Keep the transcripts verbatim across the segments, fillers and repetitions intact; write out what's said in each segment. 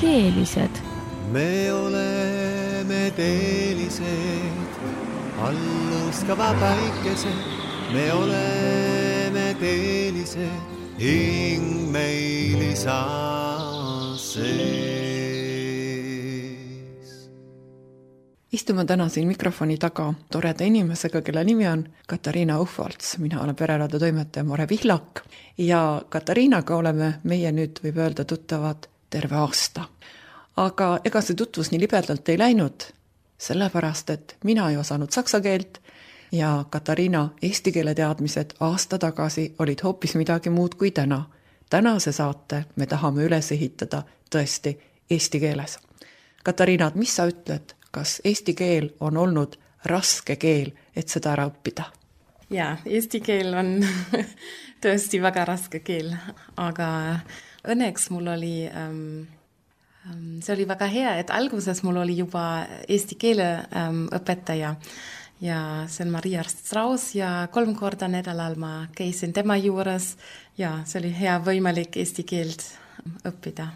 teelised. Me oleme teelised, alluskava päikesed. Me oleme teelised, hing meil isa sees. Istume täna siin mikrofoni taga toreda inimesega, kelle nimi on Katariina Uhvalts. Mina olen Pereradio toimetaja Mare Vihlak ja Katariinaga oleme meie nüüd võib öelda tuttavad terve aasta. Aga ega see tutvus nii libedalt ei läinud, sellepärast, et mina ei osanud saksa keelt ja Katariina eesti keele teadmised aasta tagasi olid hoopis midagi muud kui täna. Tänase saate me tahame üles ehitada tõesti eesti keeles. Katariina, mis sa ütled, kas eesti keel on olnud raske keel, et seda ära õppida? Jaa, eesti keel on tõesti väga raske keel, aga õnneks mul oli, um, see oli väga hea, et alguses mul oli juba eesti keele um, õpetaja ja see on Maria Strauss ja kolm korda nädalal ma käisin tema juures ja see oli hea võimalik eesti keelt õppida.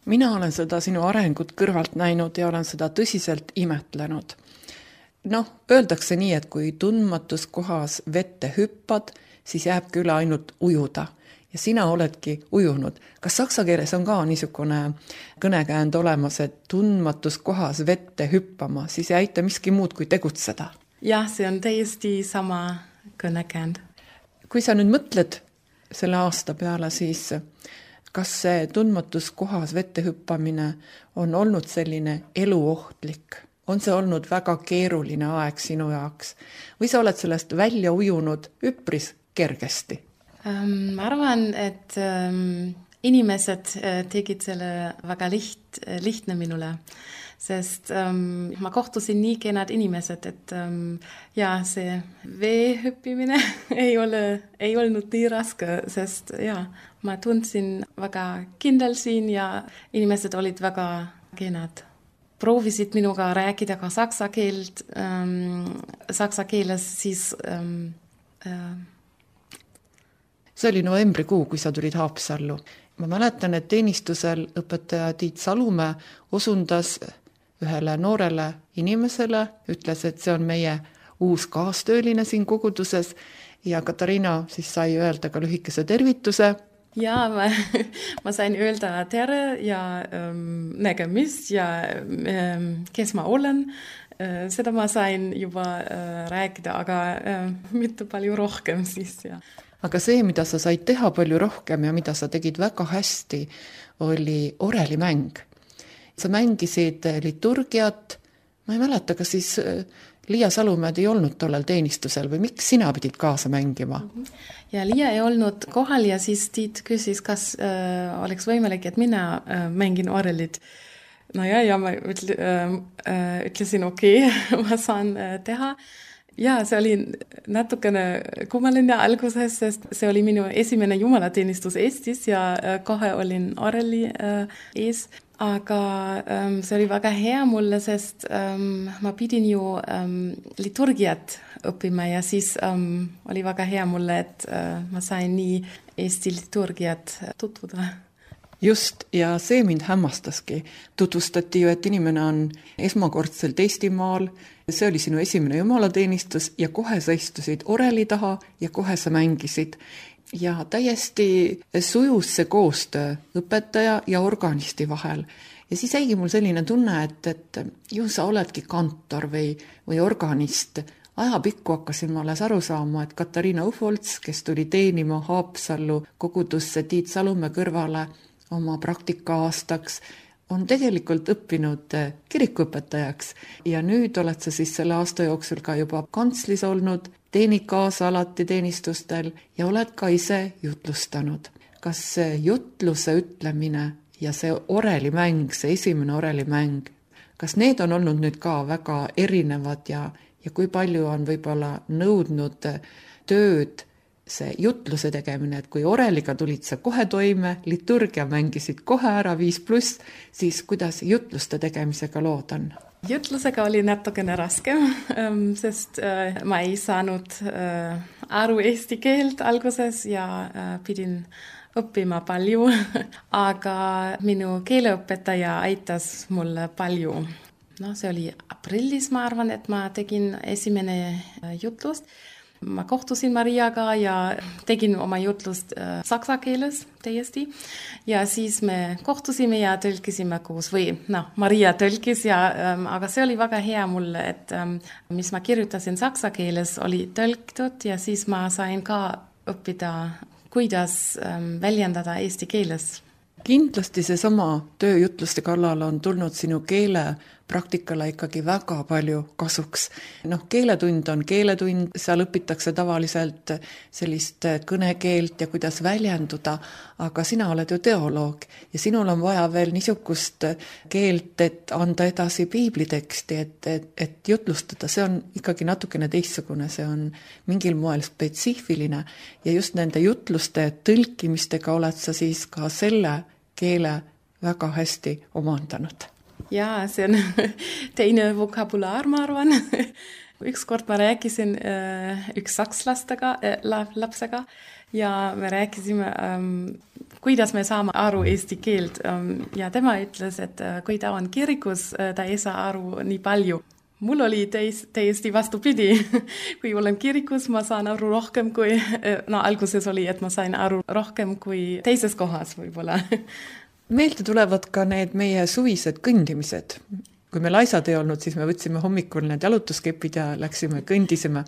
Mina olen seda sinu arengut kõrvalt näinud ja olen seda tõsiselt imetlenud. Noh, öeldakse nii, et kui tundmatus kohas vette hüppad, siis jääb küll ainult ujuda. Ja sina oledki ujunud. Kas saksa keeles on ka niisugune kõnekäänd olemas, et tundmatus kohas vette hüppama, siis ei aita miski muud kui tegutseda? Jah, see on täiesti sama kõnekäänd. Kui sa nüüd mõtled selle aasta peale, siis kas see tundmatus kohas vette hüppamine on olnud selline eluohtlik? On see olnud väga keeruline aeg sinu jaoks? Või sa oled sellest välja ujunud üpris kergesti? Um, ma arvan, et um, inimesed tegid selle väga liht, lihtne minule, sest um, ma kohtusin nii kenad inimesed, et um, ja, see veehüppimine ei, ole, ei olnud nii raske, sest ja, ma tundsin väga kindel siin ja inimesed olid väga kenad. Proovisid minuga rääkida ka saksa keelt, um, saksa keeles siis... Um, uh, see oli novembrikuu, kui sa tulid Haapsallu. Ma mäletan, et teenistusel õpetaja Tiit Salumäe osundas ühele noorele inimesele, ütles, et see on meie uus kaastööline siin koguduses ja Katariina siis sai öelda ka lühikese tervituse. Ja, ma, ma sain öelda tere ja ähm, nägemist ja ähm, kes ma olen. Äh, seda ma sain juba äh, rääkida, aga äh, mitte palju rohkem siis. Ja. Aga see, mida sa said teha palju rohkem ja mida sa tegid väga hästi, oli orelimäng. Sa mängisid liturgiat, ma ei mäleta, kas siis Liia Salumäed ei olnud tollel teenistusel või miks sina pidid kaasa mängima? Ja Liia ei olnud kohal ja siis Tiit küsis, kas äh, oleks võimalik, et mina äh, mängin orelit. No ja, ja ma ütle, äh, ütlesin okei, okay, ma saan äh, teha. Ja, see oli natukene kummaline alguses, sest see oli minu esimene jumalateenistus Eestis ja äh, kohe olin oreli äh, ees. Aga um, see oli väga hea mulle, sest um, ma pidin ju um, liturgiat õppima ja siis um, oli väga hea mulle, et uh, ma sain nii Eesti liturgiat tutvuda. Just, ja see mind hämmastaski. Tutvustati ju, et inimene on esmakordselt Eestimaal, see oli sinu esimene jumalateenistus ja kohe sa istusid oreli taha ja kohe sa mängisid. Ja täiesti sujus see koostöö õpetaja ja organisti vahel. Ja siis jäigi mul selline tunne, et, et ju sa oledki kantor või, või organist. Ajapikku hakkasin ma alles aru saama, et Katariina Uhvalts, kes tuli teenima Haapsallu kogudusse Tiit Salumäe kõrvale oma praktika aastaks, on tegelikult õppinud kirikuõpetajaks ja nüüd oled sa siis selle aasta jooksul ka juba kantslis olnud, teenid kaasa alati teenistustel ja oled ka ise jutlustanud. Kas see jutluse ütlemine ja see orelimäng, see esimene orelimäng, kas need on olnud nüüd ka väga erinevad ja, ja kui palju on võib-olla nõudnud tööd see jutluse tegemine, et kui oreliga tulid sa kohe toime, liturgia mängisid kohe ära viis pluss, siis kuidas jutluste tegemisega lood on? Jutlusega oli natukene raskem, sest ma ei saanud aru eesti keelt alguses ja pidin õppima palju, aga minu keeleõpetaja aitas mulle palju. No, see oli aprillis, ma arvan, et ma tegin esimene jutlust. Ma kohtusin Mariaga ja tegin oma jutlust äh, saksa keeles täiesti ja siis me kohtusime ja tõlkisime koos või noh, Maria tõlkis ja ähm, aga see oli väga hea mulle, et ähm, mis ma kirjutasin saksa keeles oli tõlkitud ja siis ma sain ka õppida, kuidas ähm, väljendada eesti keeles. Kindlasti see sama tööjutluste kallal on tulnud sinu keele praktikale ikkagi väga palju kasuks. Noh, keeletund on keeletund, seal õpitakse tavaliselt sellist kõnekeelt ja kuidas väljenduda, aga sina oled ju teoloog ja sinul on vaja veel niisugust keelt, et anda edasi piibliteksti, et, et, et jutlustada. See on ikkagi natukene teistsugune, see on mingil moel spetsiifiline ja just nende jutluste tõlkimistega oled sa siis ka selle keele väga hästi omandanud. Ja, see on teine vokabulaar, ma arvan. Ükskord ma rääkisin äh, üks sakslastega, äh, lapsega ja me rääkisime, ähm, kuidas me saame aru eesti keelt. Ähm, ja tema ütles, et äh, kui ta on kirikus, äh, ta ei saa aru nii palju. Mul oli teis, täiesti vastupidi. Kui olen kirikus, ma saan aru rohkem kui, no alguses oli, et ma sain aru rohkem kui teises kohas võib-olla. Meelde tulevad ka need meie suvised kõndimised. Kui me laisad ei olnud, siis me võtsime hommikul need jalutuskepid ja läksime kõndisime.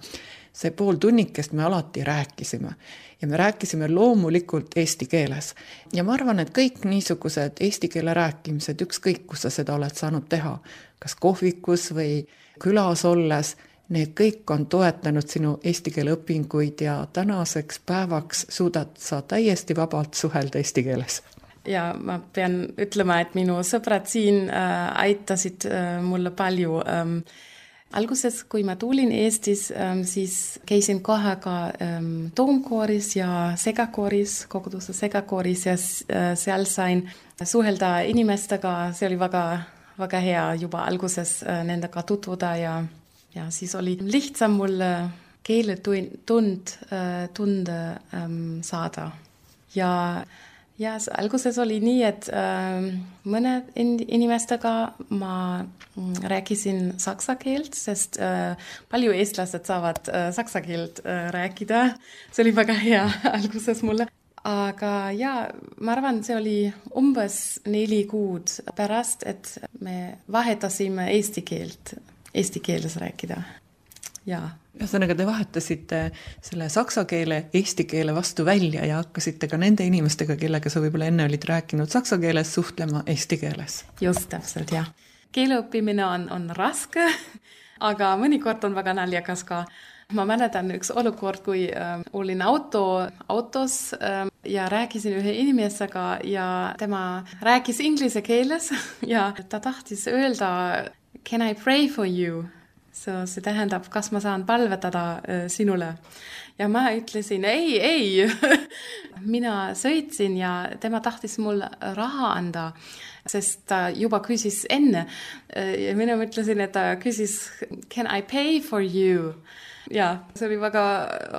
See pool tunnikest me alati rääkisime. Ja me rääkisime loomulikult eesti keeles. Ja ma arvan, et kõik niisugused eesti keele rääkimised, ükskõik kus sa seda oled saanud teha, kas kohvikus või külas olles, need kõik on toetanud sinu eesti keele õpinguid ja tänaseks päevaks suudad sa täiesti vabalt suhelda eesti keeles. Ja ma pean ütlema, et minu sõbrad siin äh, aitasid äh, mulle palju. Ähm, alguses, kui ma tulin Eestis, ähm, siis käisin kohe ka ähm, toomkooris ja segakooris, koguduse segakooris ja äh, seal sain suhelda inimestega. See oli väga, väga hea juba alguses äh, nendega tutvuda ja, ja siis oli lihtsam mulle keeletund äh, tunde ähm, saada. Ja Ja, alguses oli nii, et äh, mõne inimestega ma rääkisin saksa keelt, sest äh, palju eestlased saavad äh, saksa keelt äh, rääkida. See oli väga hea alguses mulle. Aga ja, ma arvan, see oli umbes neli kuud pärast, et me vahetasime eesti keelt, eesti keeles rääkida. Ja. Ühesõnaga, te vahetasite selle saksa keele eesti keele vastu välja ja hakkasite ka nende inimestega, kellega sa võib-olla enne olid rääkinud saksa keeles, suhtlema eesti keeles. Just täpselt, jah. Keeleõppimine on, on raske, aga mõnikord on väga naljakas ka. Ma mäletan üks olukord, kui äh, olin auto, autos äh, ja rääkisin ühe inimesega ja tema rääkis inglise keeles ja ta tahtis öelda, can I pray for you? So, see tähendab, kas ma saan palvetada äh, sinule. Ja ma ütlesin, ei, ei. Mina sõitsin ja tema tahtis mul raha anda, sest ta juba küsis enne. Ja mina ütlesin, et ta küsis, can I pay for you? Ja, see oli väga,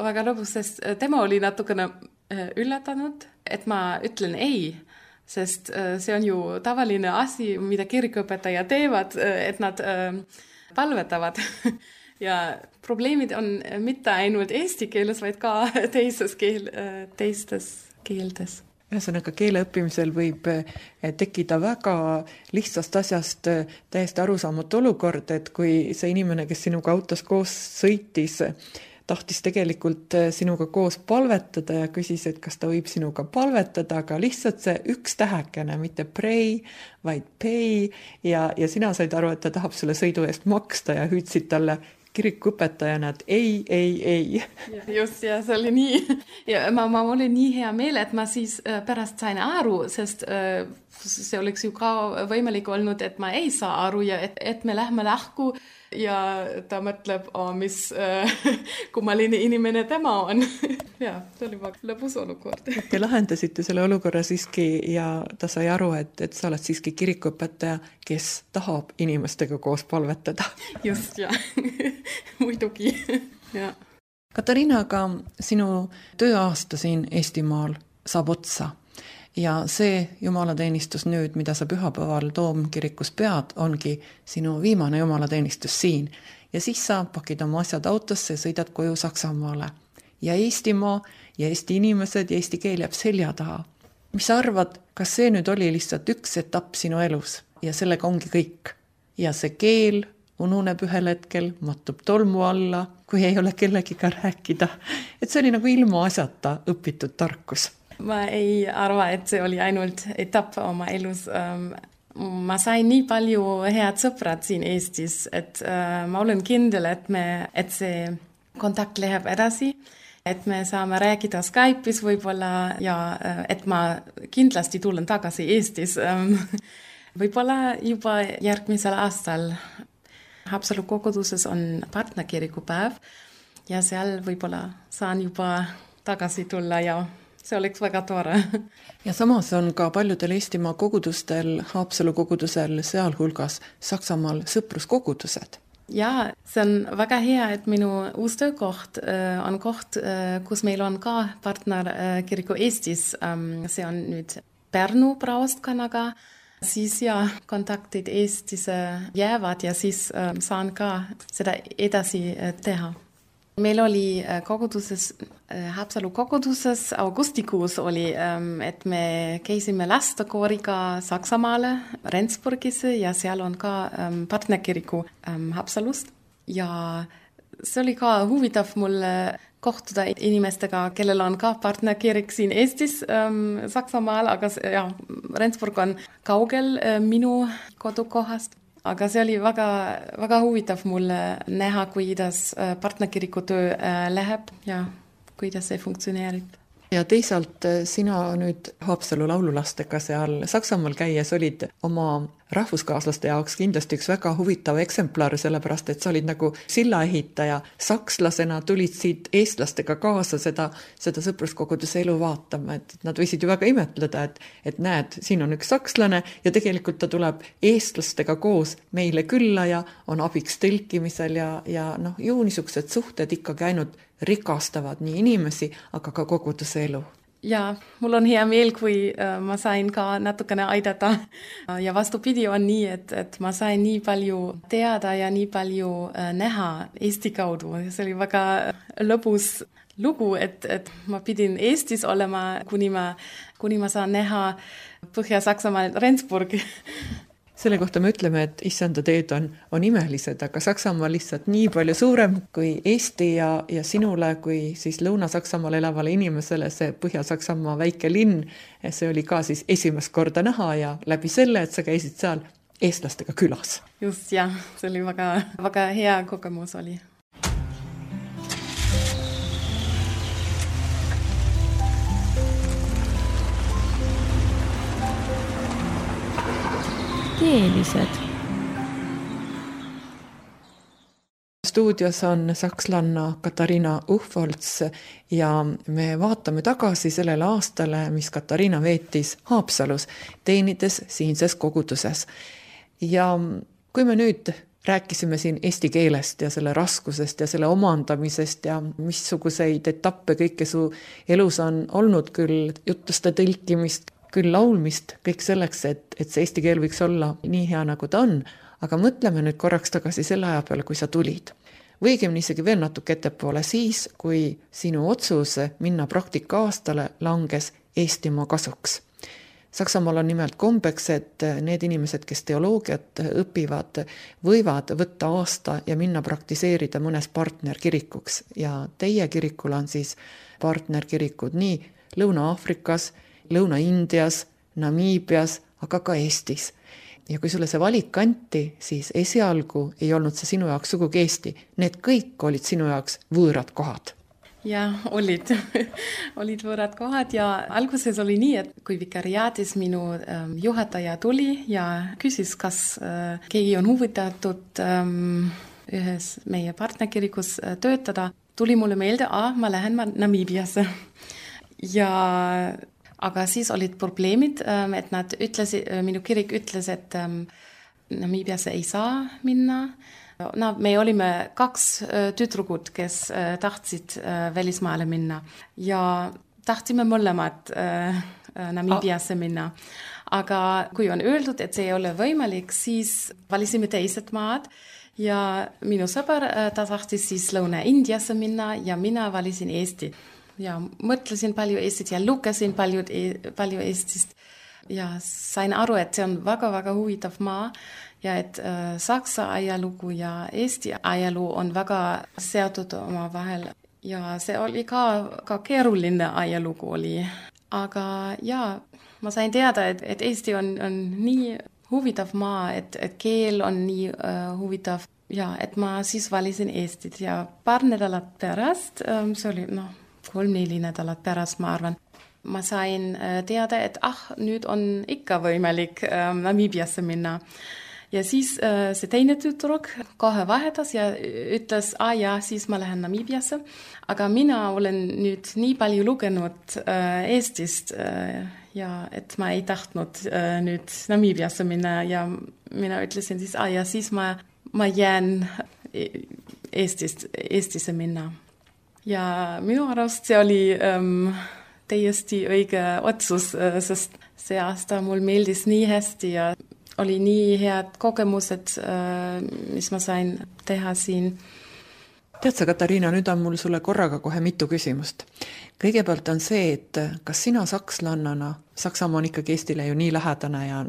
väga lõbus, sest tema oli natukene üllatanud, et ma ütlen ei, sest see on ju tavaline asi, mida kirikuõpetaja teevad, et nad palvetavad. Ja probleemid on mitte ainult eesti keeles, vaid ka teises keel, teistes keeltes. Ühesõnaga, keele õppimisel võib tekkida väga lihtsast asjast täiesti arusaamatu olukord, et kui see inimene, kes sinuga autos koos sõitis, tahtis tegelikult sinuga koos palvetada ja küsis, et kas ta võib sinuga palvetada, aga lihtsalt see üks tähekene, mitte pray, vaid pay ja, ja sina said aru, et ta tahab sulle sõidu eest maksta ja hüüdsid talle kirikuõpetajana, et ei, ei, ei. Ja, just, ja see oli nii. Ja ma, ma olin nii hea meel, et ma siis pärast sain aru, sest see oleks ju ka võimalik olnud, et ma ei saa aru ja et, et me lähme lahku ja ta mõtleb, oh, mis äh, kummaline inimene tema on. ja, see oli väga lõbus olukord. Te lahendasite selle olukorra siiski ja ta sai aru, et, et sa oled siiski kirikuõpetaja, kes tahab inimestega koos palvetada. Just, ja. Muidugi. ja. Katariina, aga sinu tööaasta siin Eestimaal saab otsa. Ja see jumalateenistus nüüd, mida sa pühapäeval Toomkirikus pead, ongi sinu viimane jumalateenistus siin. Ja siis sa pakid oma asjad autosse ja sõidad koju Saksamaale. Ja Eestimaa ja Eesti inimesed ja eesti keel jääb selja taha. Mis sa arvad, kas see nüüd oli lihtsalt üks etapp sinu elus ja sellega ongi kõik? Ja see keel ununeb ühel hetkel, mattub tolmu alla, kui ei ole kellegiga rääkida. Et see oli nagu ilma asjata õpitud tarkus. Ma ei arva, et see oli ainult etapp oma elus. Ma sain nii palju head sõprad siin Eestis, et ma olen kindel, et, me, et see kontakt läheb edasi, et me saame rääkida Skype'is võib-olla ja et ma kindlasti tulen tagasi Eestis. Võib-olla juba järgmisel aastal Haapsalu koguduses on partnerkirikupäev ja seal võib-olla saan juba tagasi tulla ja see oleks väga tore. Ja samas on ka paljudel Eestimaa kogudustel, Haapsalu kogudusel, sealhulgas Saksamaal sõpruskogudused. Ja, see on väga hea, et minu uus töökoht on koht, kus meil on ka partnerkiriku Eestis. See on nüüd Pärnu praostkanaga. Siis ja kontaktid Eestis jäävad ja siis saan ka seda edasi teha. Meil oli koguduses, Haapsalu koguduses augustikuus oli, et me käisime lastekooriga Saksamaale, Rendsburgisse ja seal on ka partnerkiriku Haapsalust. Ja see oli ka huvitav mulle kohtuda inimestega, kellel on ka partnerkirik siin Eestis, Saksamaal, aga ja, Rendsburg on kaugel minu kodukohast. Aga see oli väga, väga huvitav mulle näha, kuidas partnerkiriku töö läheb ja kuidas see funktsioneerib. Ja teisalt sina nüüd Haapsalu laululastega seal Saksamaal käies olid oma rahvuskaaslaste jaoks kindlasti üks väga huvitav eksemplar, sellepärast et sa olid nagu sillaehitaja. Sakslasena tulid siit eestlastega kaasa seda, seda sõpruskoguduse elu vaatama, et nad võisid ju väga imetleda, et, et näed, siin on üks sakslane ja tegelikult ta tuleb eestlastega koos meile külla ja on abiks tõlkimisel ja, ja noh, ju niisugused suhted ikkagi ainult rikastavad nii inimesi, aga ka koguduse elu. Ja, mul on hea meel, kui ma sain ka natukene aidata. Ja vastupidi on nii, et, et ma sain nii palju teada ja nii palju näha Eesti kaudu. See oli väga lõbus lugu, et, et ma pidin Eestis olema, kuni ma, kuni ma saan näha Põhja-Saksamaal Rendsburg. Selle kohta me ütleme, et issanda teed on, on imelised, aga Saksamaa lihtsalt nii palju suurem kui Eesti ja, ja sinule kui siis Lõuna-Saksamaal elavale inimesele see Põhja-Saksamaa väike linn. See oli ka siis esimest korda näha ja läbi selle, et sa käisid seal eestlastega külas. Just, jah, see oli väga, väga hea kogemus oli. Keelised. Stuudios on sakslanna Katariina Uhvolts ja me vaatame tagasi sellele aastale, mis Katariina veetis Haapsalus, teenides siinses koguduses. Ja kui me nüüd rääkisime siin eesti keelest ja selle raskusest ja selle omandamisest ja missuguseid etappe kõike su elus on olnud, küll jutuste tõlkimist, küll laulmist, kõik selleks, et, et see eesti keel võiks olla nii hea, nagu ta on, aga mõtleme nüüd korraks tagasi selle aja peale, kui sa tulid. Või õigemini isegi veel natuke ettepoole siis, kui sinu otsus minna praktika aastale langes Eestimaa kasuks. Saksamaal on nimelt kombeks, et need inimesed, kes teoloogiat õpivad, võivad võtta aasta ja minna praktiseerida mõnes partnerkirikuks. Ja teie kirikul on siis partnerkirikud nii Lõuna-Aafrikas, Lõuna-Indias, Namiibias, aga ka Eestis. Ja kui sulle see valik anti, siis esialgu ei olnud see sinu jaoks sugugi Eesti. Need kõik olid sinu jaoks võõrad kohad. Ja, olid. olid võõrad kohad ja alguses oli nii, et kui vikariaatis minu ähm, juhataja tuli ja küsis, kas äh, keegi on huvitatud ähm, ühes meie partnerkirikus töötada, tuli mulle meelde, ah, ma lähen Namiibiasse. Ja aga siis olid probleemid, et nad ütlesid, minu kirik ütles, et Namiibiasse ei saa minna. No, me olime kaks tüdrukud, kes tahtsid välismaale minna ja tahtsime mõlemad Namiibiasse minna. Aga kui on öeldud, et see ei ole võimalik, siis valisime teised maad ja minu sõber, ta tahtis siis Lõuna-Indiasse minna ja mina valisin Eesti. Ja mõtlesin palju Eestit ja lugesin palju, palju Eestist ja sain aru, et see on väga-väga huvitav maa ja et äh, Saksa ajalugu ja Eesti ajalugu on väga seotud oma vahel ja see oli ka, ka keeruline ajalugu oli. Aga ja, ma sain teada, et, et Eesti on, on nii huvitav maa, et, et keel on nii äh, huvitav ja et ma siis valisin Eestit ja paar nädalat pärast, ähm, see oli noh, kolm-neli nädalat pärast, ma arvan. Ma sain teada, et ah, nüüd on ikka võimalik ähm, Namiibiasse minna. Ja siis äh, see teine tüdruk kohe vahetas ja ütles, ah ja, siis ma lähen Namiibiasse. Aga mina olen nüüd nii palju lugenud äh, Eestist äh, ja et ma ei tahtnud äh, nüüd Namiibiasse minna ja mina ütlesin siis, ah ja, siis ma, ma jään Eestist, Eestisse minna. Ja minu arust see oli ähm, täiesti õige otsus, äh, sest see aasta mul meeldis nii hästi ja oli nii head kogemused, äh, mis ma sain teha siin. Tead sa, Katariina, nüüd on mul sulle korraga kohe mitu küsimust. Kõigepealt on see, et kas sina sakslannana, Saksamaa on ikkagi Eestile ju nii lähedane ja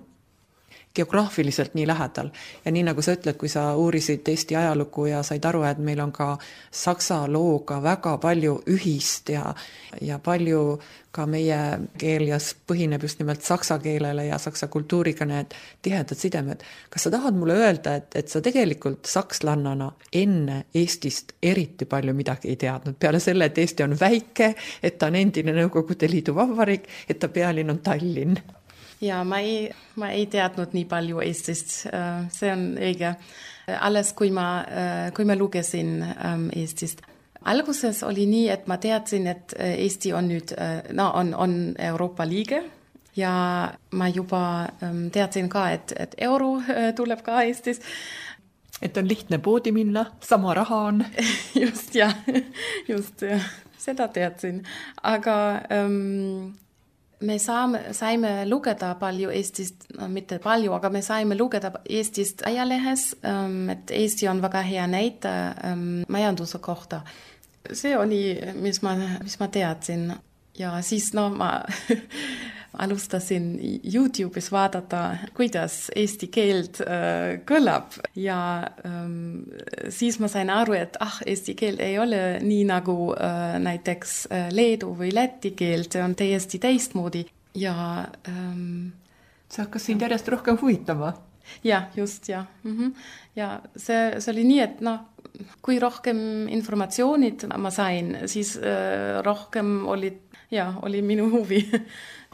geograafiliselt nii lähedal. Ja nii nagu sa ütled, kui sa uurisid Eesti ajalugu ja said aru, et meil on ka saksa looga väga palju ühist ja, ja palju ka meie keel ja põhineb just nimelt saksa keelele ja saksa kultuuriga need tihedad sidemed. Kas sa tahad mulle öelda, et, et sa tegelikult sakslannana enne Eestist eriti palju midagi ei teadnud? Peale selle, et Eesti on väike, et ta on endine Nõukogude Liidu vabariik, et ta pealinn on Tallinn. Ja, ma ei, ma ei teadnud nii palju Eestist. See on õige. Alles, kui ma, kui ma lugesin Eestist. Alguses oli nii, et ma teadsin, et Eesti on nüüd, no, on, on Euroopa liige. Ja ma juba teadsin ka, et, et euro tuleb ka Eestis. Et on lihtne poodi minna, sama raha on. Just, ja. Just, ja. Seda teadsin. Aga Um, me saame, saime lugeda palju Eestist, no, mitte palju, aga me saime lugeda Eestist ajalehes, et Eesti on väga hea näite majanduse kohta. See oli, mis ma, mis ma teadsin. Ja siis no, ma alustasin YouTube'is vaadata, kuidas eesti keelt äh, kõlab. Ja ähm, siis ma sain aru, et ah, eesti keel ei ole nii nagu äh, näiteks äh, leedu või läti keel, see on täiesti teistmoodi. Ja ähm, see hakkas sind järjest rohkem huvitama? Ja, just, ja. Mm-hmm. Ja see, see oli nii, et no, kui rohkem informatsioonid ma sain, siis äh, rohkem oli, ja, oli minu huvi.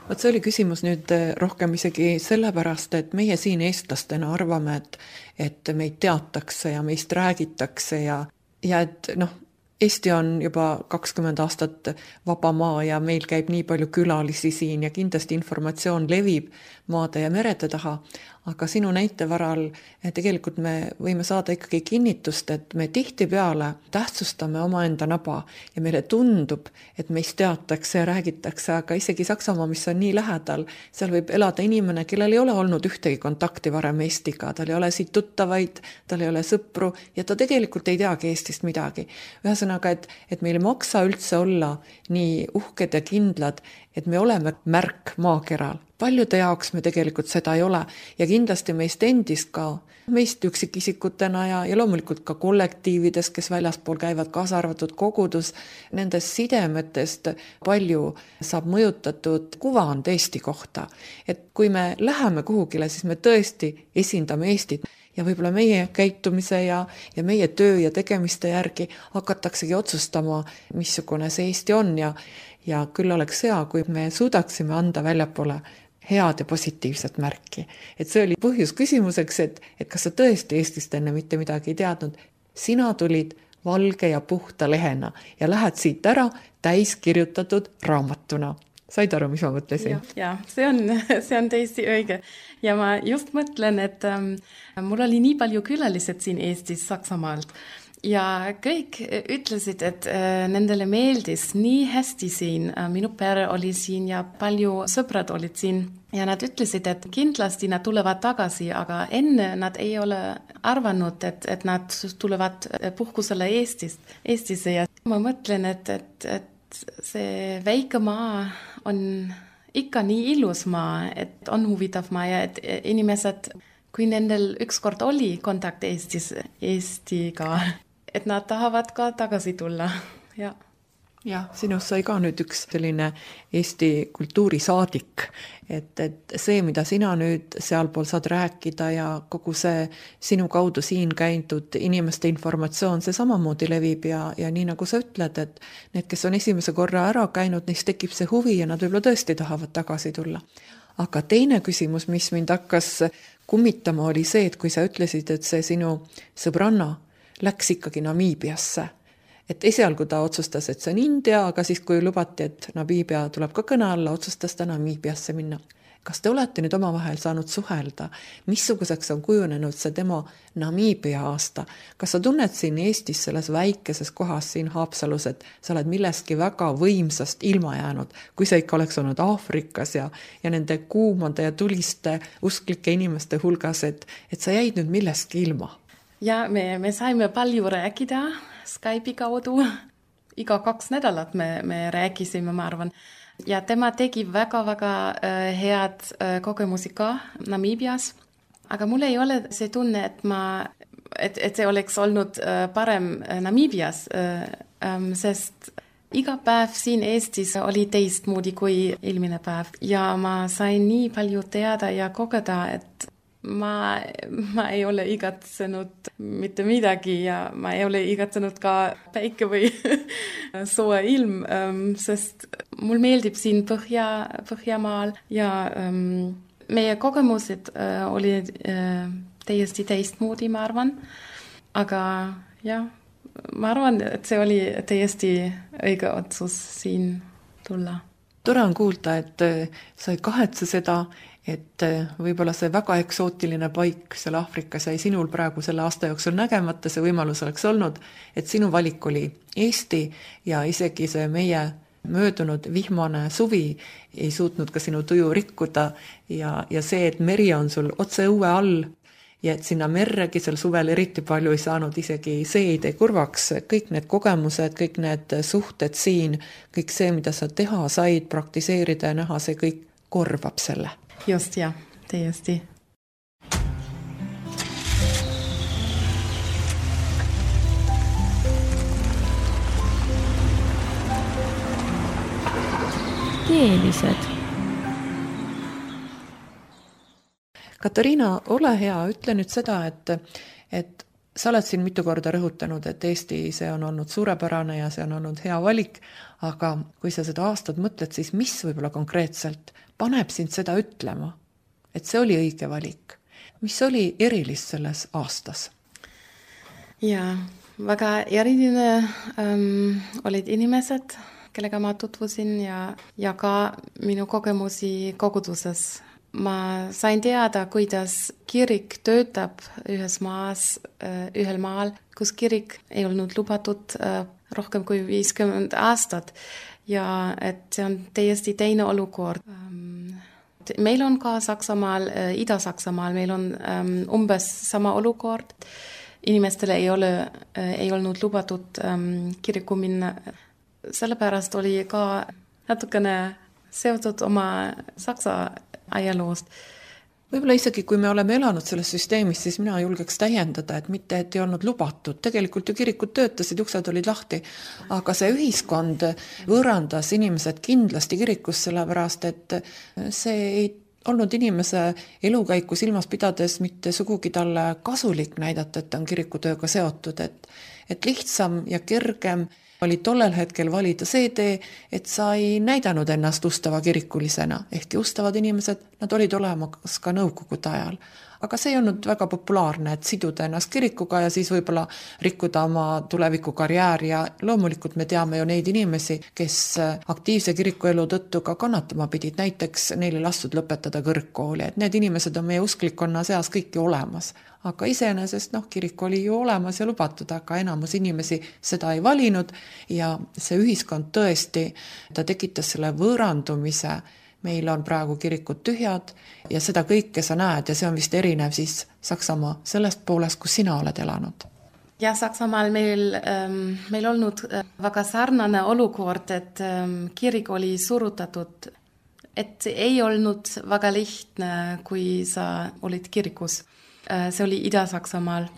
Võt see oli küsimus nüüd rohkem isegi sellepärast, et meie siin eestlastena arvame, et, et meid teatakse ja meist räägitakse ja, ja et noh, Eesti on juba kakskümmend aastat vaba maa ja meil käib nii palju külalisi siin ja kindlasti informatsioon levib maade ja merede taha, aga sinu näite varal tegelikult me võime saada ikkagi kinnitust, et me tihtipeale tähtsustame omaenda naba ja meile tundub, et meist teatakse ja räägitakse, aga isegi Saksamaa, mis on nii lähedal, seal võib elada inimene, kellel ei ole olnud ühtegi kontakti varem Eestiga, tal ei ole siit tuttavaid, tal ei ole sõpru ja ta tegelikult ei teagi Eestist midagi. Ühesõnaga, et, et meil ei maksa üldse olla nii uhked ja kindlad, et me oleme märk maakeral. Paljude jaoks me tegelikult seda ei ole ja kindlasti meist endist ka, meist üksikisikutena ja, ja loomulikult ka kollektiivides, kes väljaspool käivad, kaasa arvatud kogudus, nendest sidemetest palju saab mõjutatud kuvand Eesti kohta. Et kui me läheme kuhugile, siis me tõesti esindame Eestit ja võib-olla meie käitumise ja, ja meie töö ja tegemiste järgi hakataksegi otsustama, missugune see Eesti on ja, ja küll oleks hea, kui me suudaksime anda väljapoole head ja positiivset märki. Et see oli põhjus küsimuseks, et, et kas sa tõesti Eestist enne mitte midagi ei teadnud. sina tulid valge ja puhta lehena ja lähed siit ära täiskirjutatud raamatuna. Said aru, mis ma mõtlesin? Ja, ja see on, see on täiesti õige. Ja ma just mõtlen, et ähm, mul oli nii palju külalised siin Eestis Saksamaalt. Ja kõik ütlesid, et äh, nendele meeldis nii hästi siin. Äh, minu pere oli siin ja palju sõbrad olid siin. Ja nad ütlesid, et kindlasti nad tulevad tagasi, aga enne nad ei ole arvanud, et, et nad tulevad puhkusele Eestist, Eestisse. Ja ma mõtlen, et, et, et see väike maa on ikka nii ilus maa, et on huvitav maa ja et inimesed, kui nendel ükskord oli kontakt Eestis, Eestiga, et nad tahavad ka tagasi tulla. Ja. Jah, sinust sai ka nüüd üks selline Eesti kultuurisaadik, et, et see, mida sina nüüd sealpool saad rääkida ja kogu see sinu kaudu siin käidud inimeste informatsioon, see samamoodi levib ja, ja nii nagu sa ütled, et need, kes on esimese korra ära käinud, neist tekib see huvi ja nad võib-olla tõesti tahavad tagasi tulla. Aga teine küsimus, mis mind hakkas kummitama, oli see, et kui sa ütlesid, et see sinu sõbranna läks ikkagi Namiibiasse, et esialgu ta otsustas, et see on India, aga siis kui lubati, et Namiibia tuleb ka kõne alla, otsustas ta Namiibiasse minna. Kas te olete nüüd omavahel saanud suhelda? Missuguseks on kujunenud see tema Namiibia aasta? Kas sa tunned siin Eestis selles väikeses kohas siin Haapsalus, et sa oled millestki väga võimsast ilma jäänud, kui sa ikka oleks olnud Aafrikas ja, ja nende kuumade ja tuliste usklike inimeste hulgas, et, et sa jäid nüüd millestki ilma? Ja, me, me saime palju rääkida Skype'i kaudu. Iga kaks nädalat me, me rääkisime, ma arvan. Ja tema tegi väga-väga äh, head äh, kogemusi ka Namiibias. Aga mul ei ole see tunne, et, ma, et, et see oleks olnud äh, parem Namiibias, äh, ähm, sest iga päev siin Eestis oli teistmoodi kui eelmine päev. Ja ma sain nii palju teada ja kogeda, et Ma, ma ei ole igatsenud mitte midagi ja ma ei ole igatsenud ka päike või soe ilm, sest mul meeldib siin Põhja, Põhjamaal ja um, meie kogemused uh, olid uh, täiesti teistmoodi, ma arvan. Aga jah, ma arvan, et see oli täiesti õige otsus siin tulla. Tore on kuulda, et sa ei kahetse seda, et võib-olla see väga eksootiline paik seal Aafrikas jäi sinul praegu selle aasta jooksul nägemata, see võimalus oleks olnud, et sinu valik oli Eesti ja isegi see meie möödunud vihmane suvi ei suutnud ka sinu tuju rikkuda ja, ja see, et meri on sul otse õue all ja et sinna merregi seal suvel eriti palju ei saanud, isegi see ei tee kurvaks, kõik need kogemused, kõik need suhted siin, kõik see, mida sa teha said, praktiseerida ja näha, see kõik korvab selle. Just, ja, täiesti. Keelised. Katariina, ole hea, ütle nüüd seda, et, et sa oled siin mitu korda rõhutanud, et Eesti see on olnud suurepärane ja see on olnud hea valik, aga kui sa seda aastat mõtled, siis mis võib-olla konkreetselt paneb sind seda ütlema, et see oli õige valik? Mis oli erilist selles aastas? Ja, väga eriline ähm, olid inimesed, kellega ma tutvusin ja, ja ka minu kogemusi koguduses. Ma sain teada, kuidas kirik töötab ühes maas, ühel maal, kus kirik ei olnud lubatud rohkem kui viiskümmend aastat ja et see on täiesti teine olukord. Meil on ka Saksamaal, Ida-Saksamaal, meil on umbes sama olukord. Inimestele ei ole, ei olnud lubatud kiriku minna. Sellepärast oli ka natukene seotud oma Saksa ajaloost. Võib-olla isegi, kui me oleme elanud selles süsteemis, siis mina julgeks täiendada, et mitte, et ei olnud lubatud. Tegelikult ju kirikud töötasid, uksed olid lahti, aga see ühiskond võõrandas inimesed kindlasti kirikus, sellepärast, et see ei olnud inimese elukäiku silmas pidades mitte sugugi talle kasulik näidata, et ta on kirikutööga seotud, et, et lihtsam ja kergem oli tollel hetkel valida see tee, et sa ei näidanud ennast ustava kirikulisena, ehkki ustavad inimesed, nad olid olemas ka nõukogude ajal. Aga see ei olnud väga populaarne, et siduda ennast kirikuga ja siis võib-olla rikkuda oma tuleviku karjääri ja loomulikult me teame ju neid inimesi, kes aktiivse kirikuelu tõttu ka kannatama pidid, näiteks neile lastud lõpetada kõrgkooli, et need inimesed on meie usklikkonna seas kõiki olemas. Aga iseenesest noh, kirik oli ju olemas ja lubatud, aga enamus inimesi seda ei valinud ja see ühiskond tõesti, ta tekitas selle võõrandumise. Meil on praegu kirikud tühjad ja seda kõike sa näed ja see on vist erinev siis Saksamaa sellest poolest, kus sina oled elanud. Ja Saksamaal meil, meil olnud väga sarnane olukord, et kirik oli surutatud, et ei olnud väga lihtne, kui sa olid kirikus. See oli Ida-Saksamaal.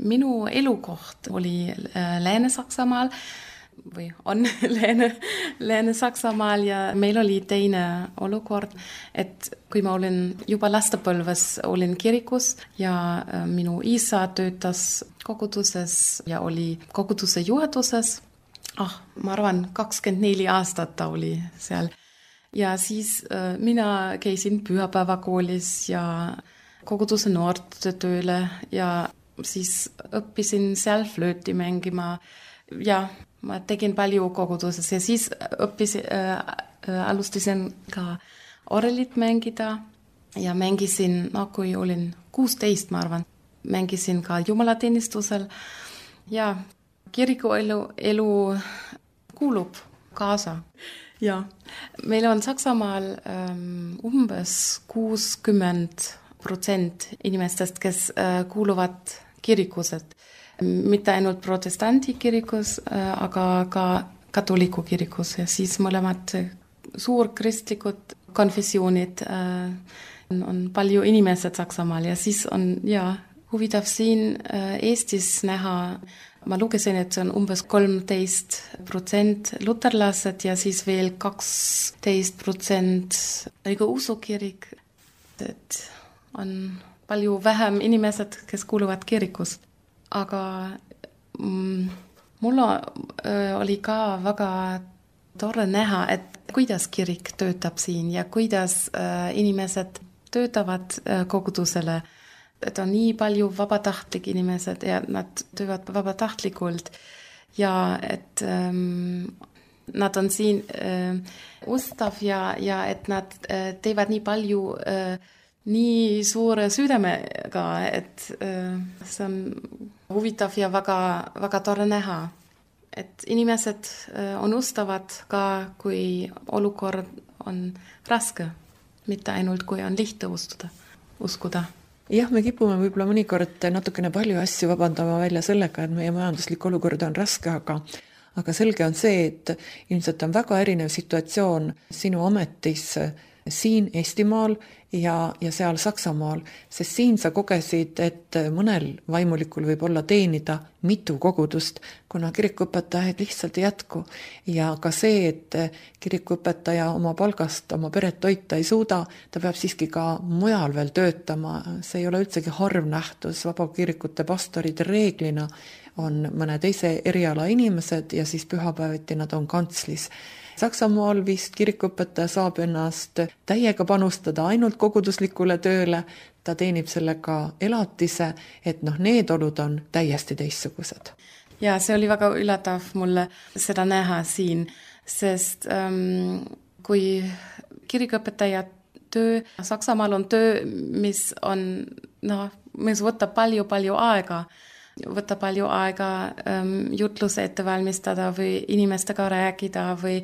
Minu elukoht oli Lääne-Saksamaal või on Lääne, Lääne-Saksamaal ja meil oli teine olukord, et kui ma olin juba lastepõlves, olin kirikus ja minu isa töötas koguduses ja oli koguduse juhatuses. Ah, ma arvan, kakskümmend neli aastat ta oli seal. Ja siis mina käisin pühapäevakoolis ja koguduse noortetööle ja siis õppisin seal flööti mängima ja ma tegin palju koguduses ja siis õppis, äh, alustasin ka orrelit mängida ja mängisin, no kui olin kuusteist, ma arvan, mängisin ka jumalateenistusel ja kirikuelu elu kuulub kaasa. Ja meil on Saksamaal ähm, umbes kuuskümmend protsent inimestest, kes äh, kuuluvad kirikused. Mitte ainult protestanti kirikus, aga ka katoliku kirikus ja siis mõlemad suurkristlikud konfessioonid on palju inimesed Saksamaal ja siis on ja, huvitav siin Eestis näha, ma lugesin, et see on umbes kolmteist protsent luterlased ja siis veel kaksteist protsent nagu usukirik, et on palju vähem inimesed, kes kuuluvad kirikust. Aga mm, mul oli ka väga tore näha, et kuidas kirik töötab siin ja kuidas äh, inimesed töötavad äh, kogudusele. Et on nii palju vabatahtlik inimesed ja nad töövad vabatahtlikult ja et ähm, nad on siin äh, ustav ja, ja et nad äh, teevad nii palju äh, nii suure südamega, et äh, see on huvitav ja väga, väga tore näha, et inimesed äh, on ustavad ka, kui olukord on raske, mitte ainult kui on lihtne ustuda, uskuda. Jah, me kipume võib-olla mõnikord natukene palju asju vabandama välja sellega, et meie majanduslik olukord on raske, aga aga selge on see, et ilmselt on väga erinev situatsioon sinu ametis siin Eestimaal ja, ja seal Saksamaal, sest siin sa kogesid, et mõnel vaimulikul võib olla teenida mitu kogudust, kuna kirikuõpetajaid lihtsalt ei jätku. Ja ka see, et kirikuõpetaja oma palgast oma peret toita ei suuda, ta peab siiski ka mujal veel töötama. See ei ole üldsegi harv nähtus, vabakirikute pastorid reeglina on mõne teise eriala inimesed ja siis pühapäeviti nad on kantslis. Saksamaal vist kirikuõpetaja saab ennast täiega panustada ainult koguduslikule tööle, ta teenib sellega elatise, et noh, need olud on täiesti teistsugused. Ja see oli väga üllatav mulle seda näha siin, sest ähm, kui kirikuõpetaja töö, Saksamaal on töö, mis on, noh, mis võtab palju-palju aega, võtab palju aega ähm, jutluse ette valmistada või inimestega rääkida või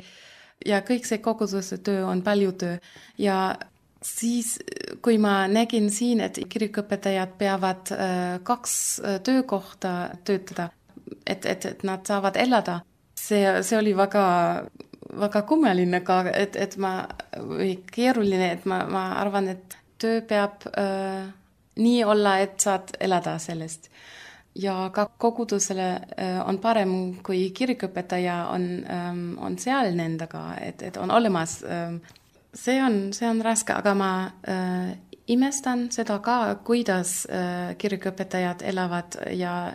ja kõik see koguduse töö on palju töö. Ja siis, kui ma nägin siin, et kirikuõpetajad peavad äh, kaks töökohta töötada, et, et, et nad saavad elada, see, see oli väga, väga kummaline ka, et, et ma, või keeruline, et ma, ma arvan, et töö peab äh, nii olla, et saad elada sellest. Ja ka kogudusele on parem, kui kirikuõpetaja on, on seal nendega, et, et on olemas. See on, see on raske, aga ma äh, imestan seda ka, kuidas äh, kirikuõpetajad elavad ja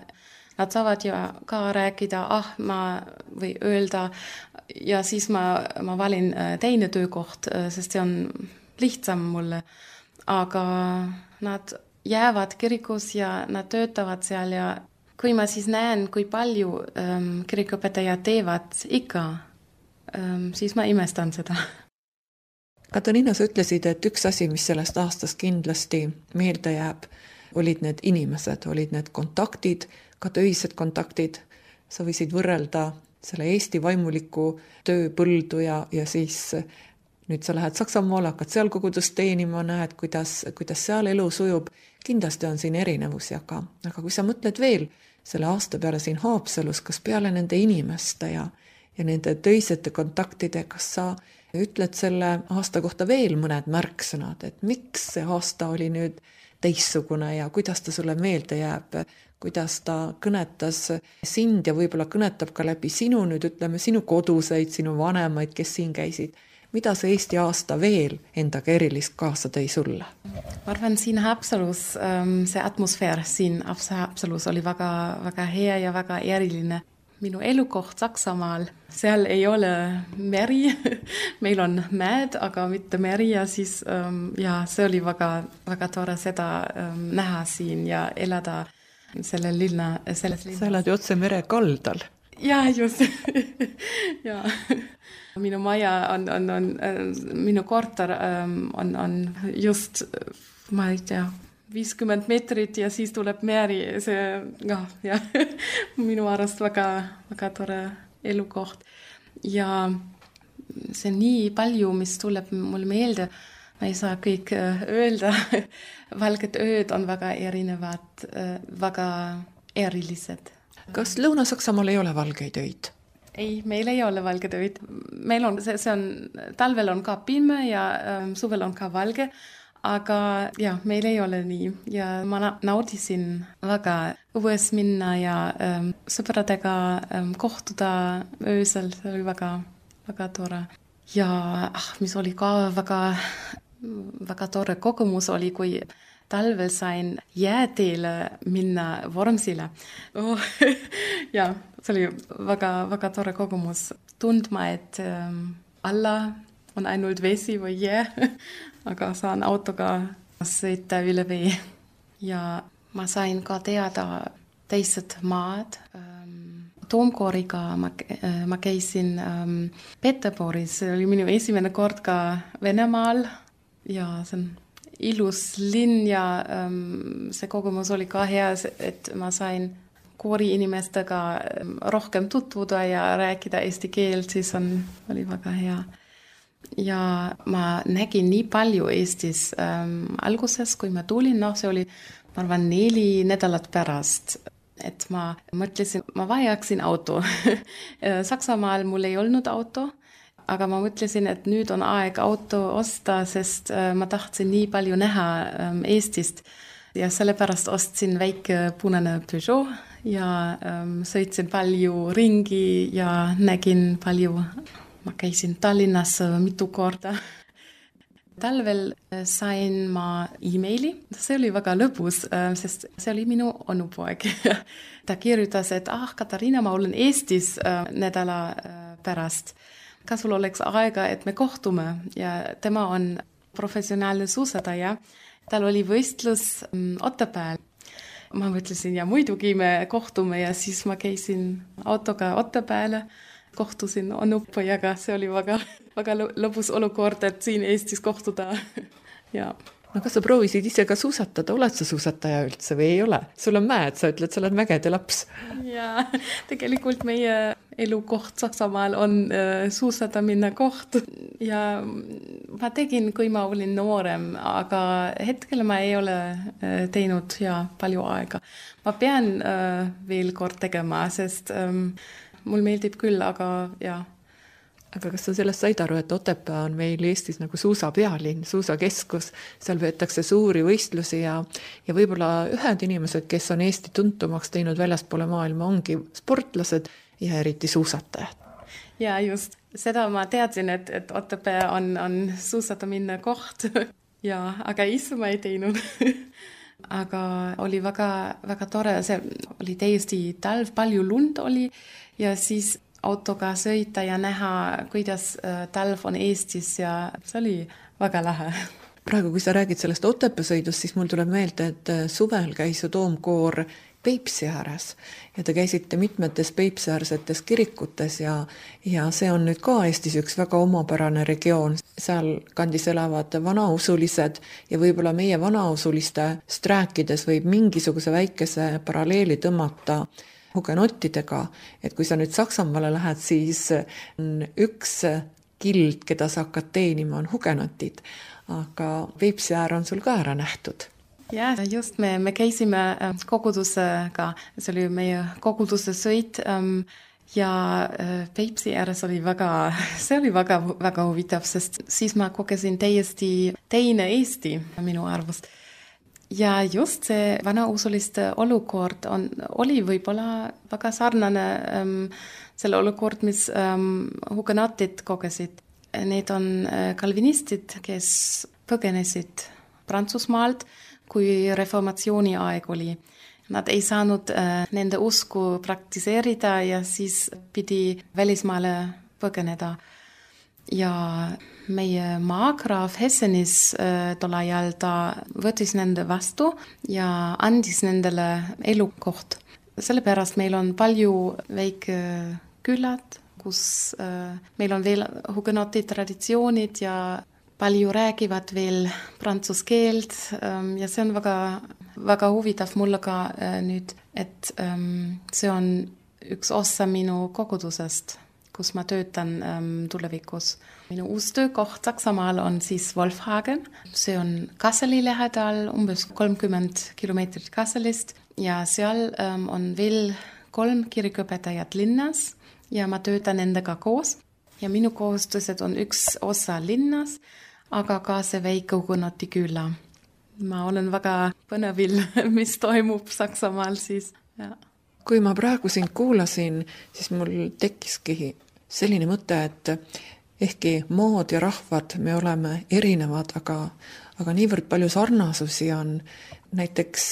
nad saavad ju ka rääkida, ah, ma või öelda ja siis ma, ma valin teine töökoht, sest see on lihtsam mulle. Aga nad jäävad kirikus ja nad töötavad seal ja kui ma siis näen, kui palju ähm, kirikuõpetajad teevad ikka, ähm, siis ma imestan seda. Katariina, sa ütlesid, et üks asi, mis sellest aastast kindlasti meelde jääb, olid need inimesed, olid need kontaktid, ka töised kontaktid. Sa võisid võrrelda selle Eesti vaimuliku tööpõldu ja, ja siis nüüd sa lähed Saksamaale, hakkad seal kogudust teenima, näed, kuidas, kuidas seal elu sujub. Kindlasti on siin erinevusi, aga, aga kui sa mõtled veel selle aasta peale siin Haapsalus, kas peale nende inimeste ja, ja nende töisete kontaktide, kas sa ütled selle aasta kohta veel mõned märksõnad, et miks see aasta oli nüüd teissugune ja kuidas ta sulle meelde jääb, kuidas ta kõnetas sind ja võib-olla kõnetab ka läbi sinu, nüüd ütleme sinu koduseid, sinu vanemaid, kes siin käisid. Mida see Eesti aasta veel endaga erilist kaasa tõi sulle? Ma arvan, siin Haapsalus see atmosfäär siin Haapsalus oli väga, väga hea ja väga eriline. Minu elukoht Saksamaal, seal ei ole meri, meil on mäed, aga mitte meri ja siis ja see oli väga, väga tore seda näha siin ja elada selle linna, selles linnas. Sa elad ju otse mere kaldal. Ja, just. ja. Minu maja on, on, on, minu korter on, on just, ma ei tea, viiskümmend meetrit ja siis tuleb meri, see, ja, ja minu arust väga, väga tore elukoht. Ja see nii palju, mis tuleb mul meelde, ma ei saa kõik öelda, valged ööd on väga erinevad, väga erilised. Kas Lõuna-Saksamaal ei ole valgeid öid? Ei, meil ei ole valged öid. Meil on, see, see on, talvel on ka pime ja ähm, suvel on ka valge, aga ja, meil ei ole nii. Ja ma naudisin väga õues minna ja ähm, sõpradega ähm, kohtuda öösel, see oli väga, väga tore. Ja ah, mis oli ka väga, väga tore kogemus oli, kui talvel sain jääteele minna Vormsile. Oh, ja, see oli väga, väga tore kogemus. Tundma, et ähm, alla on ainult vesi või jää, aga saan autoga sõita üle vee. Ja ma sain ka teada teised maad. Ähm, Toomkooriga ma, äh, ma käisin ähm, Peterburis, see oli minu esimene kord ka Venemaal ja see on ilus linn ja ähm, see kogemus oli ka hea, et ma sain koori inimestega rohkem tutvuda ja rääkida eesti keelt, siis on, oli väga hea. Ja ma nägin nii palju Eestis ähm, alguses, kui ma tulin, no see oli, ma arvan, neli nädalat pärast, et ma mõtlesin, ma vajaksin auto. Saksamaal mul ei olnud auto, aga ma mõtlesin, et nüüd on aeg auto osta, sest ma tahtsin nii palju näha Eestist. Ja sellepärast ostsin väike punane Peugeot ja sõitsin palju ringi ja nägin palju. Ma käisin Tallinnas mitu korda. Talvel sain ma e-maili. See oli väga lõbus, sest see oli minu onupoeg. Ta kirjutas, et ah, Katariina, ma olen Eestis nädala pärast. Kas sul oleks aega, et me kohtume ja tema on professionaalne suusataja. Tal oli võistlus Otepääl. Ma mõtlesin ja muidugi me kohtume ja siis ma käisin autoga Otepääle, kohtusin onupojaga, see oli väga, väga lõbus olukord, et siin Eestis kohtuda. ja. No kas sa proovisid ise ka suusatada, oled sa suusataja üldse või ei ole? Sul on mäed, sa ütled, sa oled mägede laps. Ja, tegelikult meie elukoht Saksamaal on äh, suusatamine koht ja ma tegin, kui ma olin noorem, aga hetkel ma ei ole äh, teinud ja palju aega. Ma pean äh, veel kord tegema, sest ähm, mul meeldib küll, aga ja. Aga kas sa sellest said aru, et Otepää on meil Eestis nagu suusa pealinn, suusa keskus, seal veetakse suuri võistlusi ja, ja võib-olla ühed inimesed, kes on Eesti tuntumaks teinud väljaspoole maailma, ongi sportlased ja eriti suusatajad. Ja just, seda ma teadsin, et, et Otepää on, on suusatamine koht, ja, aga ise ma ei teinud. aga oli väga, väga tore, see oli täiesti talv, palju lund oli ja siis autoga sõita ja näha, kuidas talv on Eestis ja see oli väga lahe. Praegu, kui sa räägid sellest Otepää sõidust, siis mul tuleb meelde, et suvel käis ju toomkoor Peipsi ääres ja te käisite mitmetes Peipsi-äärsetes kirikutes ja, ja see on nüüd ka Eestis üks väga omapärane regioon. Seal kandis elavad vanausulised ja võib-olla meie vanausulistest rääkides võib mingisuguse väikese paralleeli tõmmata hugenottidega, et kui sa nüüd Saksamaale lähed, siis üks kild, keda sa hakkad teenima, on hugenotid, aga Peipsi äär on sul ka ära nähtud. Ja, just me, me käisime kogudusega, see oli meie koguduse sõit ja Peipsi ääres oli väga, see oli väga, väga huvitav, sest siis ma kogesin täiesti teine Eesti minu arvust. Ja just see vanausuliste olukord on, oli võib-olla väga sarnane ähm, selle olukord, mis ähm, hugenotid kogesid. Need on kalvinistid, kes põgenesid Prantsusmaalt, kui reformatsiooni aeg oli. Nad ei saanud äh, nende usku praktiseerida ja siis pidi välismaale põgeneda. Ja meie maagraaf Hessenis äh, tol ajal ta võttis nende vastu ja andis nendele elukoht. Sellepärast meil on palju väike küllad, kus äh, meil on veel hugenoti traditsioonid ja palju räägivad veel prantsuse keelt ja see on väga, väga huvitav mulle ka nüüd, et see on üks osa minu kogudusest, kus ma töötan tulevikus. Minu uus töökoht Saksamaal on siis Wolfhagen. See on Kasseli lähedal, umbes kolmkümmend kilomeetrit Kasselist ja seal on veel kolm kirikuõpetajat linnas ja ma töötan nendega koos. Ja minu kohustused on üks osa linnas, aga ka see väike hugenoti küla. Ma olen väga põnevil, mis toimub Saksamaal siis. Ja. Kui ma praegu sind kuulasin, siis mul tekkiski selline mõte, et ehkki mood ja rahvad me oleme erinevad, aga, aga niivõrd palju sarnasusi on. Näiteks,